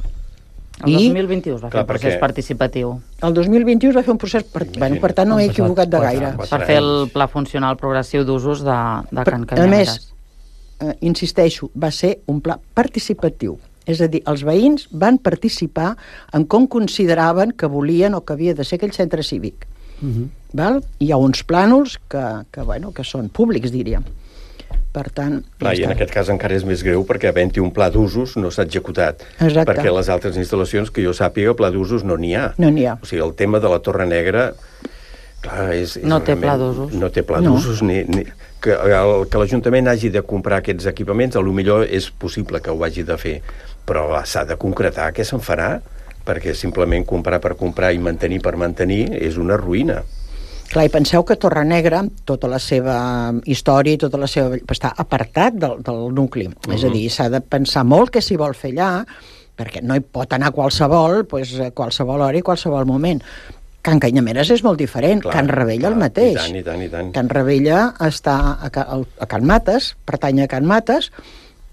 El 2021 es va fer un procés participatiu. El 2021 es va fer un procés... Per tant, no m'he equivocat de gaire. Per fer el pla funcional progressiu d'usos de Can Canyameres. A més, insisteixo, va ser un pla participatiu. És a dir, els veïns van participar en com consideraven que volien o que havia de ser aquell centre cívic. Val? Hi ha uns plànols que són públics, diríem. Per tant... I en aquest cas encara és més greu perquè havent-hi un pla d'usos no s'ha executat. Exacte. Perquè les altres instal·lacions, que jo sàpiga, pla d'usos no n'hi ha. No n'hi ha. O sigui, el tema de la Torre Negra... Clar, no té pla d'usos. No té pla d'usos, que l'Ajuntament hagi de comprar aquests equipaments, potser és possible que ho hagi de fer, però s'ha de concretar què se'n farà, perquè simplement comprar per comprar i mantenir per mantenir és una ruïna. Clar, i penseu que Torrenegra, tota la seva història i tota la seva... està apartat del nucli. És a dir, s'ha de pensar molt què s'hi vol fer allà, perquè no hi pot anar qualsevol, qualsevol hora i qualsevol moment. Can Canyameres és molt diferent, Can Rebella el mateix. I tant. Can Rebella està a Can Mates, pertany a Can Mates,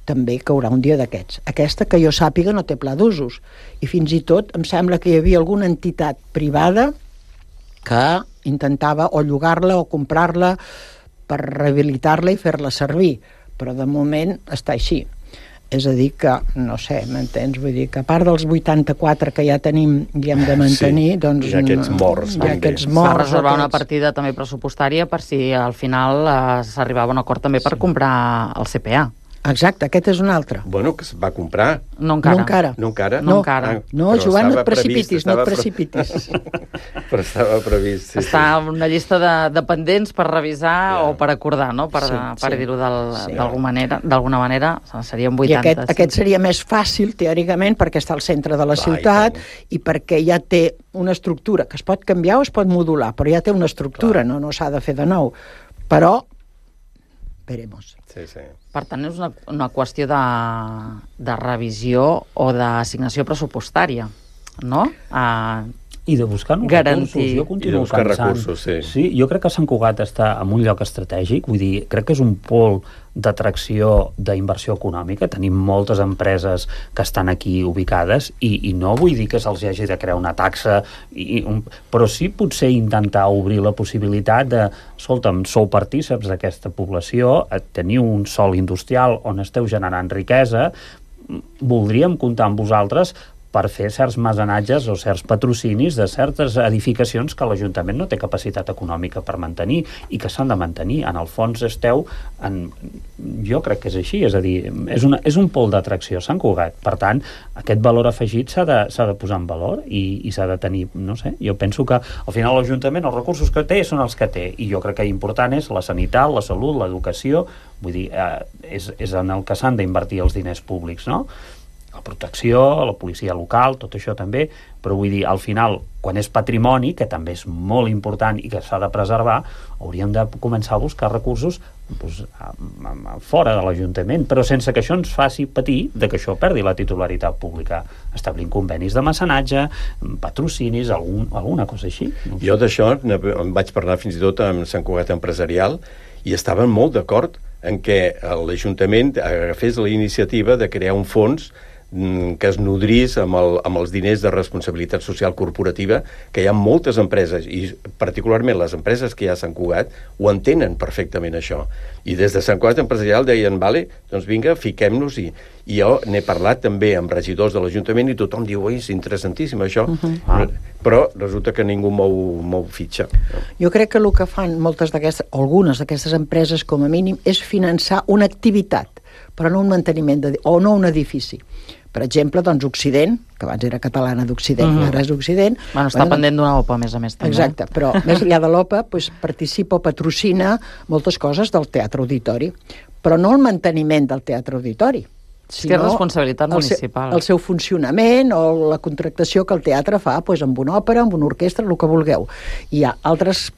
també caurà un dia d'aquests. Aquesta, que jo sàpiga, no té pla d'usos. I fins i tot em sembla que hi havia alguna entitat privada que intentava o llogar-la o comprar-la per rehabilitar-la i fer-la servir. Però de moment està així. És a dir que, no sé, m'entens? Vull dir que a part dels 84 que ja tenim i hem de mantenir, doncs... Hi ha aquests morts. Va reservar una partida també pressupostària per si al final s'arribava a un acord també per comprar el CPA. Exacte, aquest és un altre. Bueno, que es va comprar. No encara. No encara? No, Joan, no et precipitis, no et precipitis. Però estava previst. Està en una llista de pendents per revisar o per acordar, no? Per dir-ho d'alguna manera, serien 80. I aquest seria més fàcil, teòricament, perquè està al centre de la ciutat i perquè ja té una estructura que es pot canviar o es pot modular, però ja té una estructura, no s'ha de fer de nou. Però, veremos. Sí. Per tant, és una qüestió de revisió o d'assignació pressupostària, no? I de buscar nous recursos. Jo continuo pensant. Sí, jo crec que Sant Cugat està en un lloc estratègic, vull dir, crec que és un pol d'atracció d'inversió econòmica. Tenim moltes empreses que estan aquí ubicades i no vull dir que se'ls hagi de crear una taxa, però sí potser intentar obrir la possibilitat de, escolta'm, sou partíceps d'aquesta població, teniu un sòl industrial on esteu generant riquesa, voldríem comptar amb vosaltres per fer certs mecenatges o certs patrocinis de certes edificacions que l'Ajuntament no té capacitat econòmica per mantenir i que s'han de mantenir. En el fons esteu jo crec que és així, és a dir, és un pol d'atracció Sant Cugat. Per tant, aquest valor afegit s'ha de posar en valor i s'ha de tenir, no sé, jo penso que al final l'Ajuntament els recursos que té són els que té i jo crec que important és la sanitat, la salut, l'educació, vull dir, és en el que s'han d'invertir els diners públics, no? La protecció, la policia local, tot això també, però vull dir, al final, quan és patrimoni, que també és molt important i que s'ha de preservar, hauríem de començar a buscar recursos fora de l'Ajuntament, però sense que això ens faci patir de que això perdi la titularitat pública, establint convenis de mecenatge, patrocinis, alguna cosa així. Jo d'això em vaig parlar fins i tot amb Sant Cugat Empresarial i estaven molt d'acord en què l'Ajuntament agafés la iniciativa de crear un fons que es nodrís amb els diners de responsabilitat social corporativa, que hi ha moltes empreses, i particularment les empreses que hi ha a Sant Cugat, ho entenen perfectament això. I des de Sant Cugat Empresarial deien, vale, doncs vinga, fiquem-nos, i jo n'he parlat també amb regidors de l'Ajuntament i tothom diu, oi, és interessantíssim això, però resulta que ningú mou fitxa. Jo crec que el que fan algunes d'aquestes empreses, com a mínim, és finançar una activitat, però no un manteniment, o no un edifici. Per exemple, doncs, Occident, que abans era catalana d'Occident, ara és Occident... Està pendent d'una OPA, a més a més. També. Exacte, però més enllà de l'OPA participa o patrocina moltes coses del Teatre Auditori, però no el manteniment del Teatre Auditori, sinó és responsabilitat municipal. El seu funcionament o la contractació que el teatre fa amb una òpera, amb una orquestra, el que vulgueu. Hi ha altres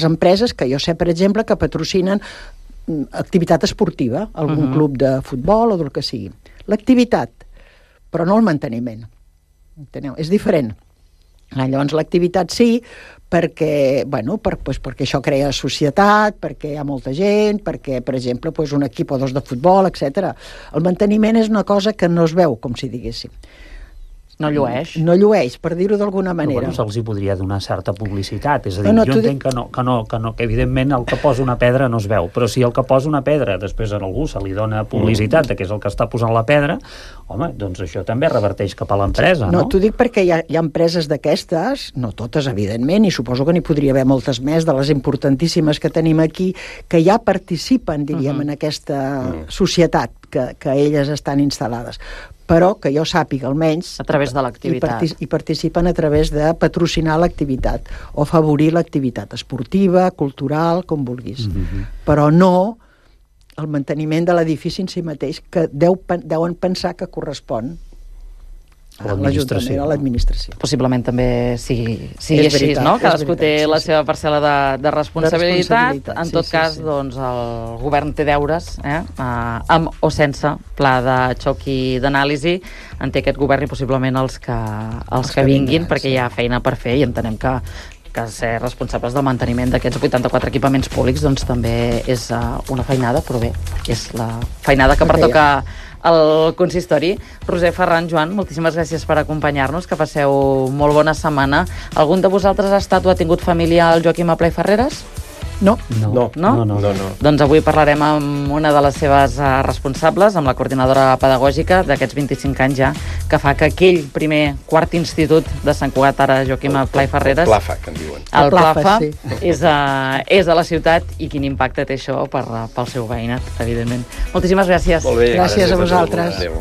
empreses que jo sé, per exemple, que patrocinen activitat esportiva, algun club de futbol o del que sigui. L'activitat, però no el manteniment. Enteneu? És diferent. Llavors l'activitat sí, perquè això crea societat, perquè hi ha molta gent, perquè, per exemple, un equip o dos de futbol, etc. El manteniment és una cosa que no es veu, com si diguéssim. No llueix. No llueix, per dir-ho d'alguna manera. Però se'ls hi podria donar certa publicitat. És a dir, jo entenc que evidentment el que posa una pedra no es veu, però si el que posa una pedra després a algú se li dona publicitat de que és el que està posant la pedra, home, doncs això també reverteix cap a l'empresa, no? No, t'ho dic perquè hi ha empreses d'aquestes, no totes, evidentment, i suposo que n'hi podria haver moltes més, de les importantíssimes que tenim aquí, que ja participen, diríem, en aquesta societat que elles estan instal·lades. Però que jo sàpiga almenys... A través de l'activitat. I participen a través de patrocinar l'activitat o afavorir l'activitat esportiva, cultural, com vulguis. Però no el manteniment de l'edifici en si mateix, que deuen pensar que correspon a l'Ajuntament, a l'administració. Possiblement també sigui així, no? Cadascú té la seva parcel·la de responsabilitat. En tot cas, doncs, el govern té deures, amb o sense pla de xoc i d'anàlisi. En té aquest govern i possiblement els que vinguin, perquè hi ha feina per fer i entenem que que ser responsables del manteniment d'aquests 84 equipaments públics doncs també és una feinada, però bé, és la feinada que pertoca al consistori. Roser, Ferran, Joan, moltíssimes gràcies per acompanyar-nos, que passeu molt bona setmana. Algun de vosaltres ha estat o ha tingut família al Joaquim Aplà i Ferreres? No. Doncs avui parlarem amb una de les seves responsables, amb la coordinadora pedagògica d'aquests 25 anys ja, que fa que aquell primer quart institut de Sant Cugat, ara Joaquim Aplà i Ferreres... El Plafa, que en diuen. El Plafa, sí. és a la ciutat, i quin impacte té això pel seu veïnat, evidentment. Moltíssimes gràcies. Molt bé, gràcies a vosaltres. Adéu.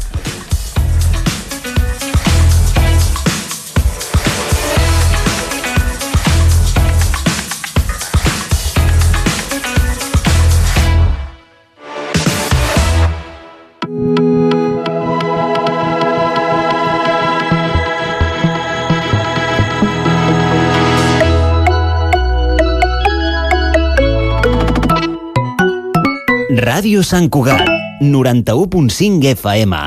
Ràdio Sant Cugat, 91.5 FM.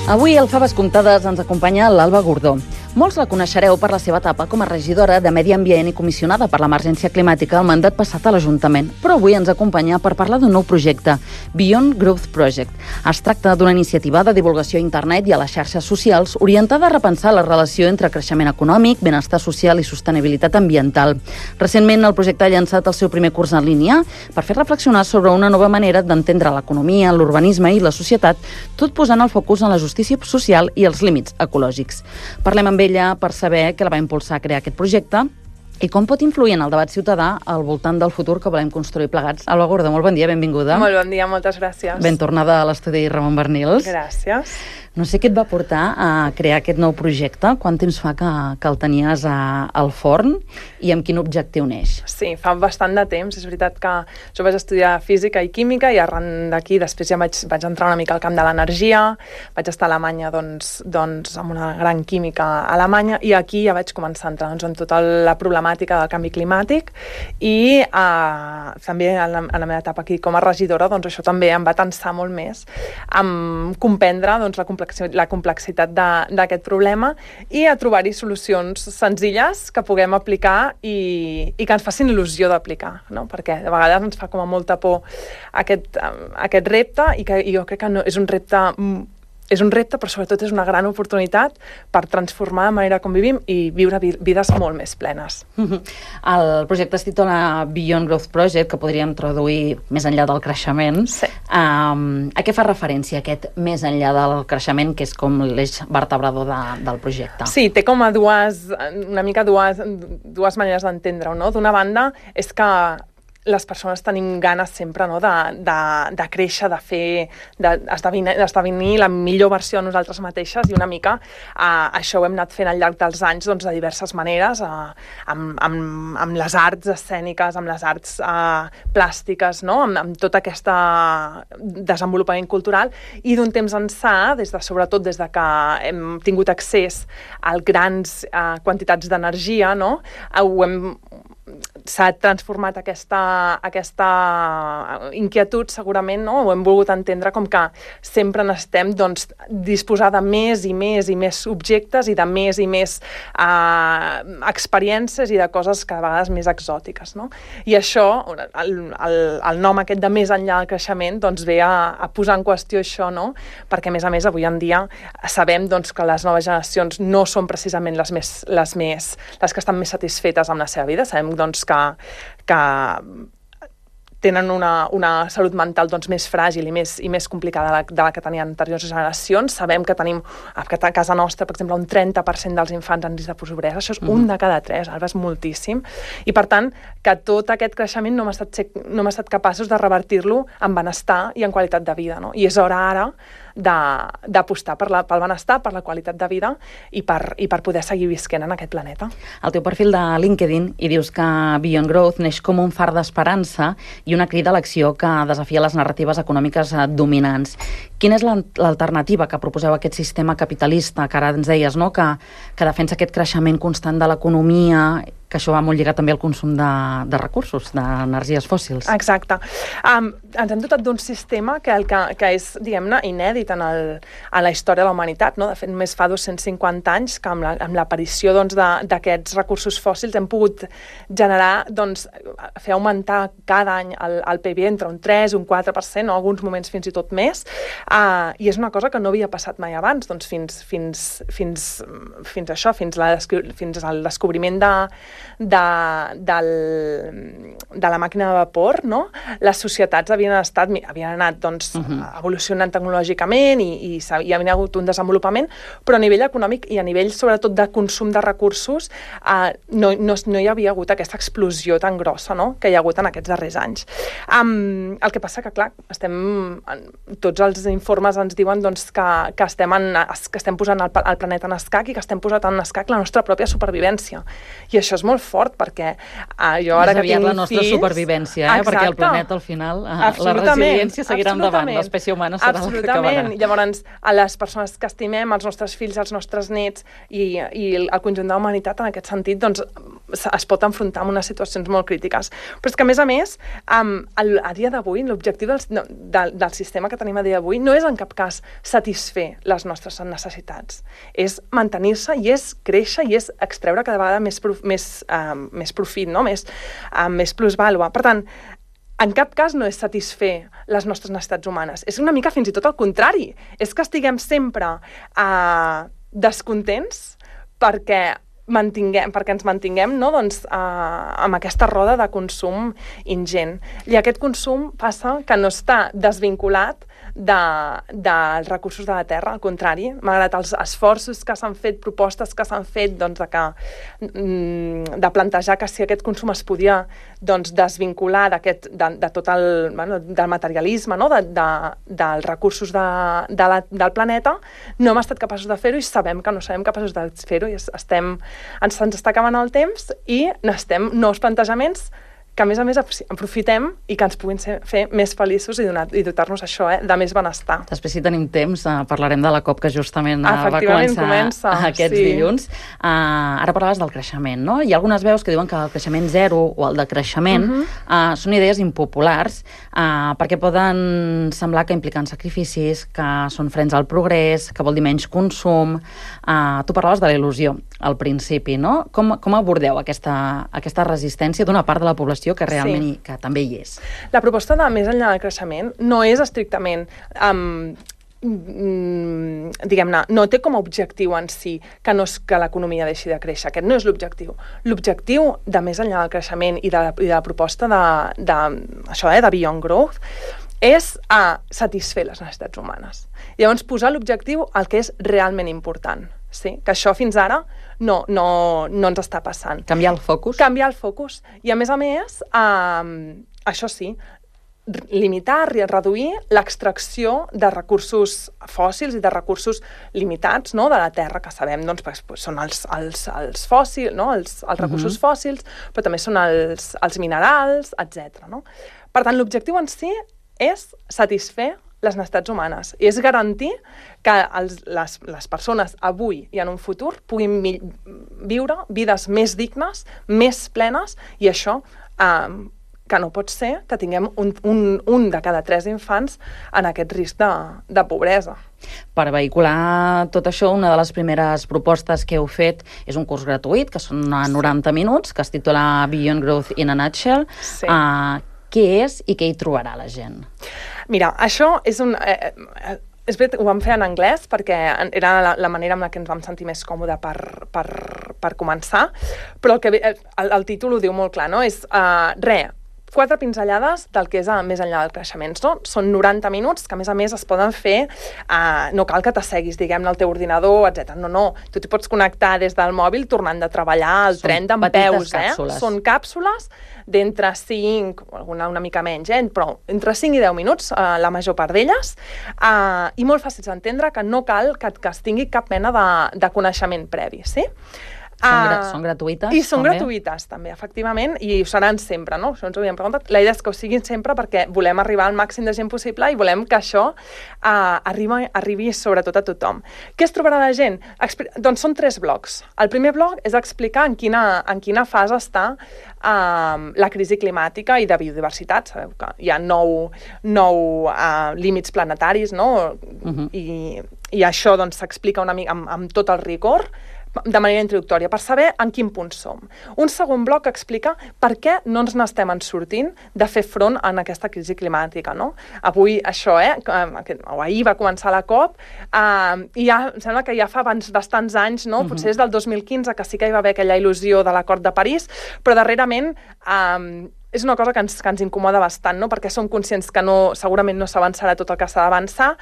Avui al Faves Comptades ens acompanya l'Alba Gordó. Molts la coneixereu per la seva etapa com a regidora de Medi Ambient i comissionada per l'emergència climàtica al mandat passat a l'Ajuntament, però avui ens acompanya per parlar d'un nou projecte, Beyond Growth Project. Es tracta d'una iniciativa de divulgació a internet i a les xarxes socials orientada a repensar la relació entre creixement econòmic, benestar social i sostenibilitat ambiental. Recentment, el projecte ha llançat el seu primer curs en línia per fer reflexionar sobre una nova manera d'entendre l'economia, l'urbanisme i la societat, tot posant el focus en la justícia social i els límits ecològics. Parlem amb ella per saber què la va impulsar a crear aquest projecte i com pot influir en el debat ciutadà al voltant del futur que volem construir plegats. Alba Gordó, molt bon dia, benvinguda. Molt bon dia, moltes gràcies. Ben tornada a l'estudi Ramon Bernils. Gràcies. No sé què et va portar a crear aquest nou projecte, quant temps fa que el tenies al forn i amb quin objectiu neix? Sí, fa bastant de temps. És veritat que jo vaig estudiar física i química i arran d'aquí després ja vaig entrar una mica al camp de l'energia, vaig estar a Alemanya doncs, amb una gran química a Alemanya i aquí ja vaig començar a entrar en tota la problemàtica del canvi climàtic i també en la meva etapa aquí com a regidora doncs això també em va tensar molt més en comprendre doncs, la complexitat d'aquest problema i a trobar-hi solucions senzilles que puguem aplicar i que ens facin il·lusió d'aplicar, no? Perquè de vegades ens fa com a molta por aquest repte i jo crec que no, és un repte, però sobretot és una gran oportunitat per transformar la manera com vivim i viure vides molt més plenes. El projecte es titula Beyond Growth Project, que podríem traduir més enllà del creixement. Sí. A què fa referència aquest més enllà del creixement, que és com l'eix vertebrador del projecte? Sí, té com a dues maneres d'entendre-ho, no? D'una banda, és que les persones tenim ganes sempre, no? de créixer, d'esdevenir la millor versió de nosaltres mateixes i una mica això ho hem anat fent al llarg dels anys doncs, de diverses maneres, amb les arts escèniques, amb les arts plàstiques, no? amb tot aquest desenvolupament cultural i d'un temps ençà, sobretot des de que hem tingut accés a grans quantitats d'energia, no? S'ha transformat aquesta inquietud segurament, no? Ho hem volgut entendre com que sempre necessitem doncs, disposar de més i més i més objectes i de més i més experiències i de coses cada vegades més exòtiques, no? I això, el nom aquest de més enllà del creixement doncs, ve a posar en qüestió això, no? Perquè a més avui en dia sabem doncs, que les noves generacions no són precisament les que estan més satisfetes amb la seva vida. Sabem doncs, que tenen una salut mental doncs, més fràgil i més complicada de la que tenien anteriors generacions. Sabem que tenim a casa nostra, per exemple, un 30% dels infants en risc de pobresa. Això és un de cada 3, ara és moltíssim. I per tant, que tot aquest creixement no hem estat capaços de revertir-lo en benestar i en qualitat de vida, no? I és hora ara d'apostar pel benestar, per la qualitat de vida i per poder seguir visquent en aquest planeta. Al teu perfil de LinkedIn hi dius que Beyond Growth neix com un far d'esperança i una crida a l'acció que desafia les narratives econòmiques dominants. Quina és l'alternativa que proposeu a aquest sistema capitalista que ara ens deies, no? que defensa aquest creixement constant de l'economia, que això va molt lligat també al consum de recursos, d'energies fòssils? Exacte. Ens hem dotat d'un sistema que és, diguem-ne, inèdit en la història de la humanitat, no? De fet, només fa 250 anys que amb l'aparició d'aquests recursos fòssils hem pogut generar, fer augmentar cada any el PIB entre un 3 i un 4%, en alguns moments fins i tot més, i és una cosa que no havia passat mai abans, fins al descobriment de la màquina de vapor, no? Les societats havien anat evolucionant tecnològicament i hi havia hagut un desenvolupament, però a nivell econòmic i a nivell sobretot de consum de recursos no hi havia hagut aquesta explosió tan grossa, no? Que hi ha hagut en aquests darrers anys. El que passa que, clar, tots els informes ens diuen que estem posant el planeta en escac i que estem posant en escac la nostra pròpia supervivència. I això és molt fort, perquè jo ara que tinc fills... la nostra supervivència, perquè el planeta, al final, la resiliència seguirà endavant, l'espècie humana serà la que acabarà. Llavors, a les persones que estimem, els nostres fills, els nostres nets i el conjunt de la humanitat, en aquest sentit, es pot enfrontar amb unes situacions molt crítiques. Però és que, a més, a dia d'avui, l'objectiu del sistema que tenim a dia d'avui no és en cap cas satisfer les nostres necessitats. És mantenir-se i és créixer i és extreure cada vegada més profit, no? Més plusvàlua. Per tant, en cap cas no és satisfer les nostres necessitats humanes. És una mica fins i tot al contrari. És que estiguem sempre descontents perquè ens mantinguem, no? Amb aquesta roda de consum ingent. I aquest consum passa que no està desvinculat dels recursos de la terra, al contrari, malgrat els esforços que s'han fet, propostes que s'han fet de plantejar que si aquest consum es podia desvincular de tot del materialisme, no? Dels recursos del planeta, no hem estat capaços de fer-ho i sabem que no serem capaços de fer-ho i ens està acabant el temps i necessitem nous plantejaments que, a més, aprofitem i que ens puguin fer més feliços i dotar-nos això, de més benestar. Després, si tenim temps, parlarem de la COP que justament va començar aquests dilluns. Ara parlaves del creixement, no? Hi ha algunes veus que diuen que el creixement zero o el decreixement són idees impopulars perquè poden semblar que impliquen sacrificis, que són frens al progrés, que vol dir menys consum. Tu parlaves de la il·lusió al principi, no? Com abordeu aquesta resistència d'una part de la població que realment que també hi és? La proposta de més enllà del creixement no és estrictament diguem-ne, no té com a objectiu en si que l'economia deixi de créixer. Aquest no és l'objectiu. L'objectiu de més enllà del creixement i de la proposta de Beyond Growth és satisfer les necessitats humanes. Llavors, posar l'objectiu al que és realment important. Sí, que això fins ara no ens està passant. Canviar el focus? Canviar el focus. I a més, això sí, limitar, reduir l'extracció de recursos fòssils i de recursos limitats, no?, de la terra, que sabem, són els fòssils, no?, els recursos fòssils, però també són els minerals, etc. No? Per tant, l'objectiu en si és satisfer les necessitats humanes i és garantir que les persones avui i en un futur puguin viure vides més dignes, més plenes, i això que no pot ser que tinguem un de cada 3 infants en aquest risc de pobresa. Per vehicular tot això, una de les primeres propostes que heu fet és un curs gratuït, que són 90 minuts, que es titula Beyond Growth in a Nutshell. Sí. Què és i què hi trobarà la gent? Mira, això és és veritat, ho vam fer en anglès perquè era la manera amb la que ens vam sentir més còmode per començar, però el títol ho diu molt clar, no? És 4 pinzellades del que és més enllà del creixement. Són 90 minuts que, a més, es poden fer, no cal que t'asseguis, diguem-ne, al teu ordinador, etc. No. Tu t'hi pots connectar des del mòbil tornant de treballar al tren d'en peus. Són càpsules d'entre 5, una mica menys, però entre 5 i 10 minuts, la major part d'elles, i molt fàcils d'entendre, que no cal que es tingui cap mena de coneixement previ, sí? Són gratuïtes? I són gratuïtes, també, efectivament, i ho seran sempre, no? Això ens ho havíem preguntat. La idea és que ho siguin sempre perquè volem arribar al màxim de gent possible i volem que això arribi sobretot a tothom. Què es trobarà la gent? Doncs són 3 blocs. El primer bloc és explicar en quina fase està la crisi climàtica i de biodiversitat. Sabeu que hi ha 9 límits planetaris, no? I això s'explica una mica amb tot el rigor, de manera introductòria, per saber en quin punt som. Un segon bloc explica per què no ens n'estem sortint de fer front a aquesta crisi climàtica, no? Avui això, o ahir va començar la COP, i ja sembla que ja fa bastants anys, no? Potser és del 2015, que sí que hi va haver aquella il·lusió de l'Acord de París, però darrerament és una cosa que ens incomoda bastant, no? Perquè som conscients que segurament no s'avançarà tot el que s'ha d'avançar,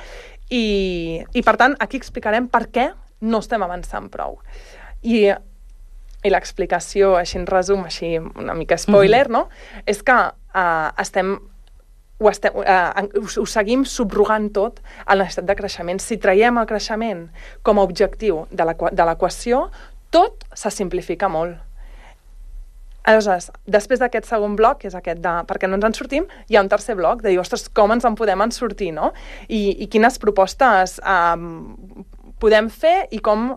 i per tant aquí explicarem per què no estem avançant prou. I l'explicació, així en resum, així una mica spoiler, no? És que ho seguim subrogant tot a la necessitat de creixement. Si traiem el creixement com a objectiu de l'equació, tot se simplifica molt. Aleshores, després d'aquest segon bloc, que és aquest de per què no ens en sortim, hi ha un tercer bloc de dir, ostres, com ens en podem sortir, no? I quines propostes podem fer i com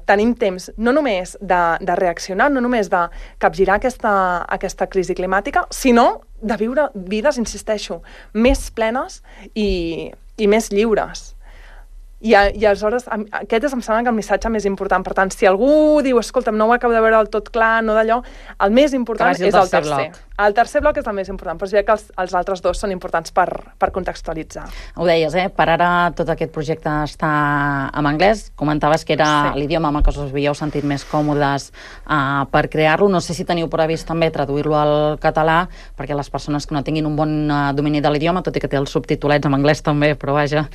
tenim temps no només de reaccionar, no només de capgirar aquesta crisi climàtica, sinó de viure vides, insisteixo, més plenes i més lliures. I aleshores, aquest em sembla que el missatge més important. Per tant, si algú diu, escolta'm, no ho acabo de veure del tot clar, no d'allò, el més important és el tercer. El tercer bloc és el més important, però és que els altres 2 són importants per contextualitzar. Ho deies, per ara tot aquest projecte està en anglès. Comentaves que era l'idioma amb el que us havíeu sentit més còmodes per crear-lo. No sé si teniu previst també traduir-lo al català, perquè les persones que no tinguin un bon domini de l'idioma, tot i que té els subtitulets en anglès també, però vaja,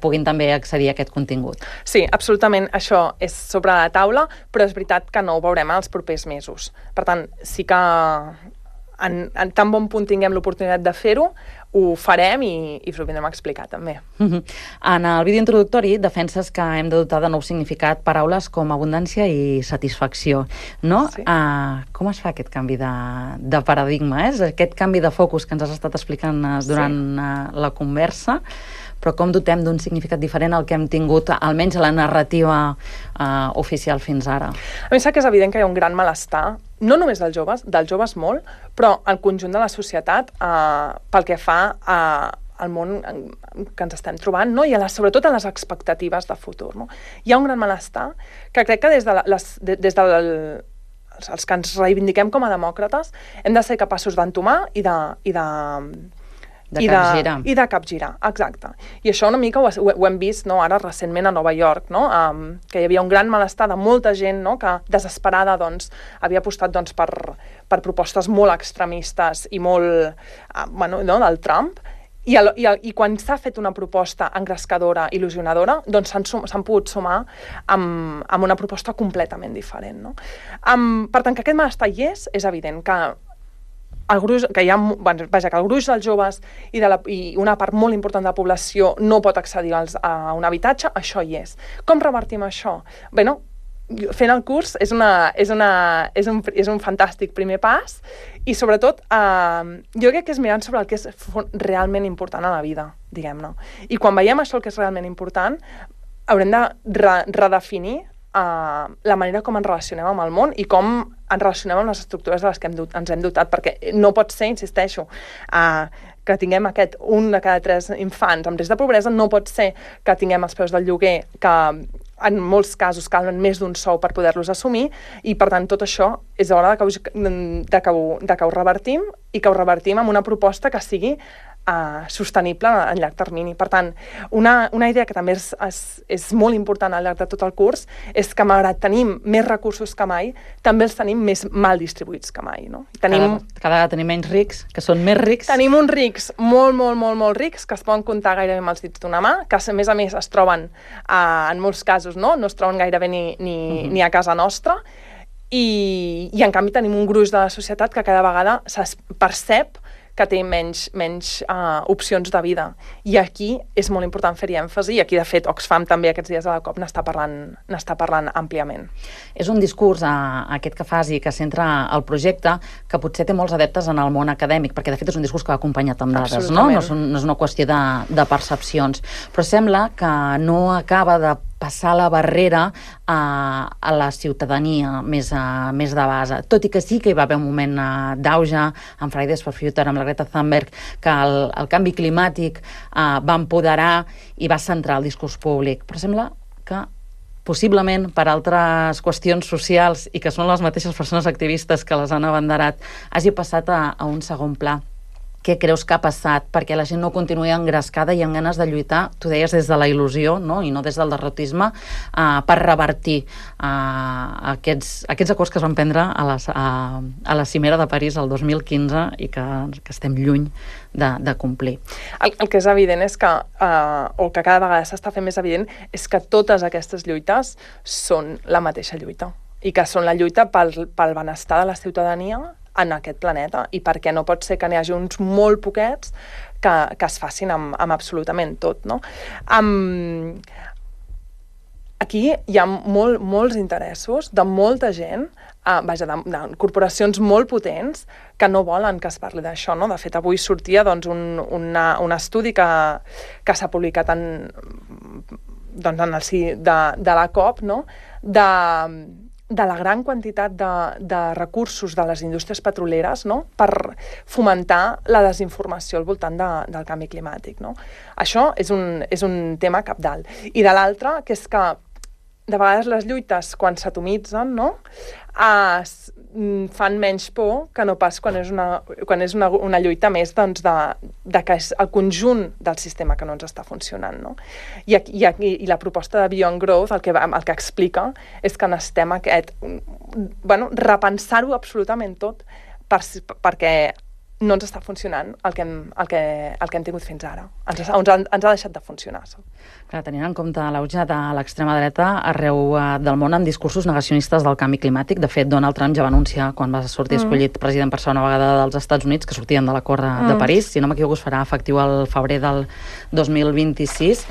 puguin també accedir a aquest contingut. Sí, absolutament, això és sobre la taula, però és veritat que no ho veurem els propers mesos. Per tant, sí que en tan bon punt tinguem l'oportunitat de fer-ho, ho farem i us ho vindrem a explicar també. En el vídeo introductori defenses que hem de dotar de nou significat paraules com abundància i satisfacció, no? Sí. Com es fa aquest canvi de paradigma? Aquest canvi de focus que ens has estat explicant durant la conversa, però com dotem d'un significat diferent al que hem tingut, almenys a la narrativa oficial fins ara? A mi sap que és evident que hi ha un gran malestar, no només dels joves molt, però al conjunt de la societat pel que fa al món que ens estem trobant, no? I sobretot a les expectatives de futur. No? Hi ha un gran malestar que crec que des dels que ens reivindiquem com a demòcrates hem de ser capaços d'entomar i de capgirar, exacte. I això una mica ho hem vist ara recentment a Nova York, no? Que hi havia un gran malestar de molta gent, no? Que desesperada havia apostat per propostes molt extremistes i molt del Trump, i quan s'ha fet una proposta engrescadora, il·lusionadora, doncs s'han pogut sumar amb una proposta completament diferent, no? Per tant, que aquest malestar hi és evident que el gruix dels joves i una part molt important de la població no pot accedir a un habitatge, això hi és. Com revertim això? Bé, fent el curs és un fantàstic primer pas i sobretot jo crec que és mirant sobre el que és realment important a la vida, diguem-ne. I quan veiem això el que és realment important haurem de redefinir la manera com ens relacionem amb el món i com ens relacionem amb les estructures de les que ens hem dotat, perquè no pot ser, insisteixo, que tinguem un de cada 3 infants amb risc de pobresa, no pot ser que tinguem els preus del lloguer que en molts casos calen més d'un sou per poder-los assumir, i per tant tot això és hora de que ho revertim, i que ho revertim amb una proposta que sigui sostenible a llarg termini. Per tant, una idea que també és molt important al llarg de tot el curs és que, malgrat tenim més recursos que mai, també els tenim més mal distribuïts que mai. No? Cada vegada tenim menys rics, que són més rics. Tenim uns rics molt rics, que es poden comptar gairebé amb els dits d'una mà, que a més es troben, en molts casos, no es troben gairebé ni a casa nostra, i en canvi tenim un gruix de la societat que cada vegada percep que té menys opcions de vida. I aquí és molt important fer-hi èmfasi, i aquí, de fet, Oxfam també aquests dies a la COP n'està parlant àmpliament. És un discurs, aquest que fas i que centra el projecte, que potser té molts adeptes en el món acadèmic, perquè, de fet, és un discurs que va acompanyat amb dades, no? No és una qüestió de percepcions. Però sembla que no acaba de passar la barrera a la ciutadania més de base. Tot i que sí que hi va haver un moment d'auge amb Fridays for Future, amb la Greta Thunberg, que el canvi climàtic va empoderar i va centrar el discurs públic. Però sembla que possiblement per altres qüestions socials, i que són les mateixes persones activistes que les han abanderat, hagi passat a un segon pla. Què creus que ha passat perquè la gent no continuï engrescada i amb ganes de lluitar, tu deies des de la il·lusió, no? I no des del derrotisme, per revertir aquests acords que es van prendre a la cimera de París el 2015 i que estem lluny de complir? El que és evident és que, o que cada vegada s'està fent més evident, és que totes aquestes lluites són la mateixa lluita, i que són la lluita pel benestar de la ciutadania en aquest planeta, i perquè no pot ser que n'hi hagi uns molt poquets que es facin amb absolutament tot, no? Aquí hi ha molts interessos de molta gent, de corporacions molt potents que no volen que es parli d'això, no? De fet, avui sortia un estudi que s'ha publicat en el si de la COP, no? De la gran quantitat de recursos de les indústries petroleres, no? Per fomentar la desinformació al voltant del canvi climàtic. No? Això és un tema cabdal. I de l'altre, que és que de vegades les lluites, quan s'atomitzen, no? Fan menys por que no pas quan és una lluita més de que és el conjunt del sistema que no ens està funcionant. No? I la proposta de Beyond Growth el que explica és que necessitem repensar-ho absolutament tot perquè no ens està funcionant el que hem tingut fins ara. Ens ha deixat de funcionar. Clar, tenint en compte l'auge de l'extrema dreta arreu del món amb discursos negacionistes del canvi climàtic. De fet, Donald Trump ja va anunciar, quan va sortir escollit president per segona vegada dels Estats Units, que sortien de l'acord de París. Si no m'equivoco, es farà efectiu al febrer del 2026.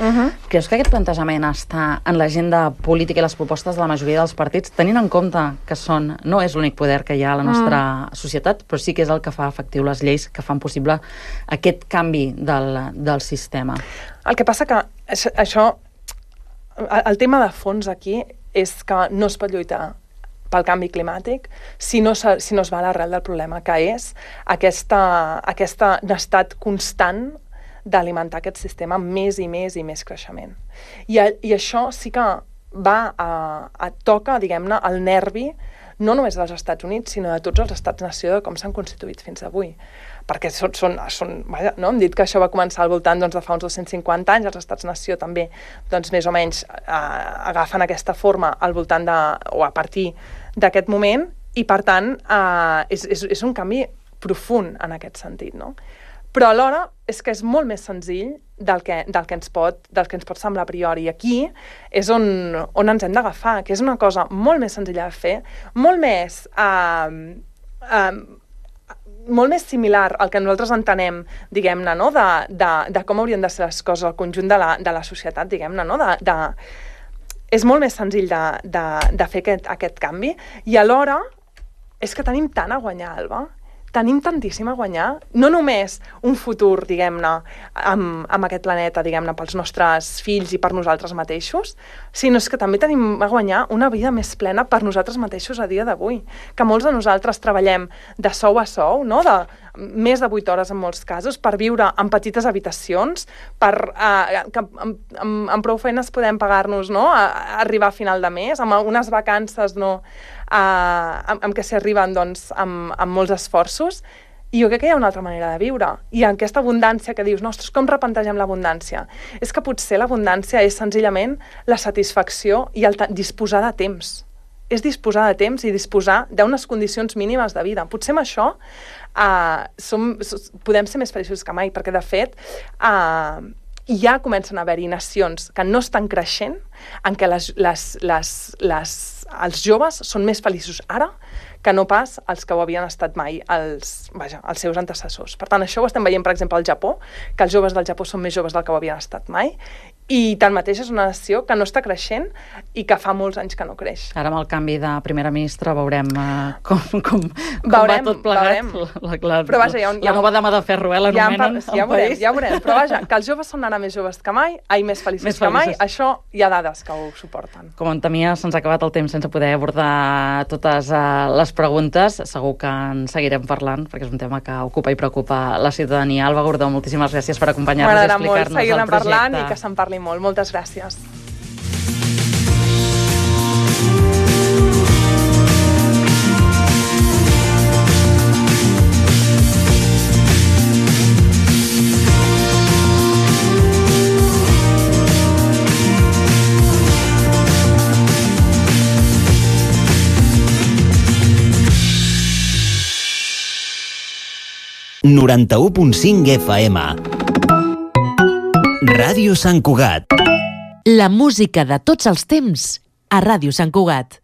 Creus que aquest plantejament està en l'agenda política i les propostes de la majoria dels partits, tenint en compte que no és l'únic poder que hi ha a la nostra societat, però sí que és el que fa efectiu les lleis que fan possible aquest canvi del sistema? El que passa que el tema de fons aquí és que no es pot lluitar pel canvi climàtic si no es va a l'arrel del problema, que és aquest estat constant d'alimentar aquest sistema amb més i més i més creixement. I això sí que toca, diguem-ne, el nervi no només dels Estats Units, sinó de tots els estats-nació de com s'han constituït fins avui. Perquè hem dit que això va començar al voltant de fa uns 250 anys, els estats-nació també, més o menys, agafen aquesta forma al voltant o a partir d'aquest moment, i per tant és un canvi profund en aquest sentit, no? Però alhora és que és molt més senzill del que ens pot semblar a priori. I aquí és on ens hem d'agafar, que és una cosa molt més senzilla de fer, molt més similar al que nosaltres entenem, diguem-ne, no? de com haurien de ser les coses al conjunt de la societat, diguem-ne, no? És molt més senzill de fer aquest canvi, i alhora és que tenim tant a guanyar, Alba. Tenim tantíssim a guanyar, no només un futur, diguem-ne, amb aquest planeta, diguem-ne, pels nostres fills i per nosaltres mateixos, sinó que també tenim a guanyar una vida més plena per nosaltres mateixos a dia d'avui. Que molts de nosaltres treballem de sou a sou, no? De més de 8 hores en molts casos, per viure en petites habitacions, que amb prou feines podem pagar-nos, no? A arribar a final de mes, amb unes vacances, no? Amb què s'hi arriben amb molts esforços, I jo crec que hi ha una altra manera de viure. I aquesta abundància que dius, ostres, com replantegem l'abundància? És que potser l'abundància és senzillament la satisfacció i el disposar de temps. És disposar de temps i disposar d'unes condicions mínimes de vida. Potser amb això podem ser més feliços que mai, perquè de fet ja comencen a haver-hi nacions que no estan creixent, en què els joves són més feliços ara que no pas els que ho havien estat mai els seus antecessors. Per tant, això ho estem veient, per exemple, al Japó, que els joves del Japó són més joves del que ho havien estat mai, i tanmateix és una nació que no està creixent i que fa molts anys que no creix. Ara amb el canvi de primera ministra veurem com va tot plegat. Però vaja, la nova dama de ferro, l'anomenen ja ho veurem. Però vaja, que els joves són ara més joves que mai, més feliços que mai, això hi ha dades que ho suporten. Com en temia, se'ns ha acabat el temps sense poder abordar totes les preguntes. Segur que en seguirem parlant, perquè és un tema que ocupa i preocupa la ciutadania. Alba Gordó, moltíssimes gràcies per acompanyar-nos i explicar-nos el projecte. M'agradarà molt seguir-ne parlant i que se'n parli molt. Moltes gràcies. FM. Ràdio Sant Cugat. La música de tots els temps a Ràdio Sant Cugat.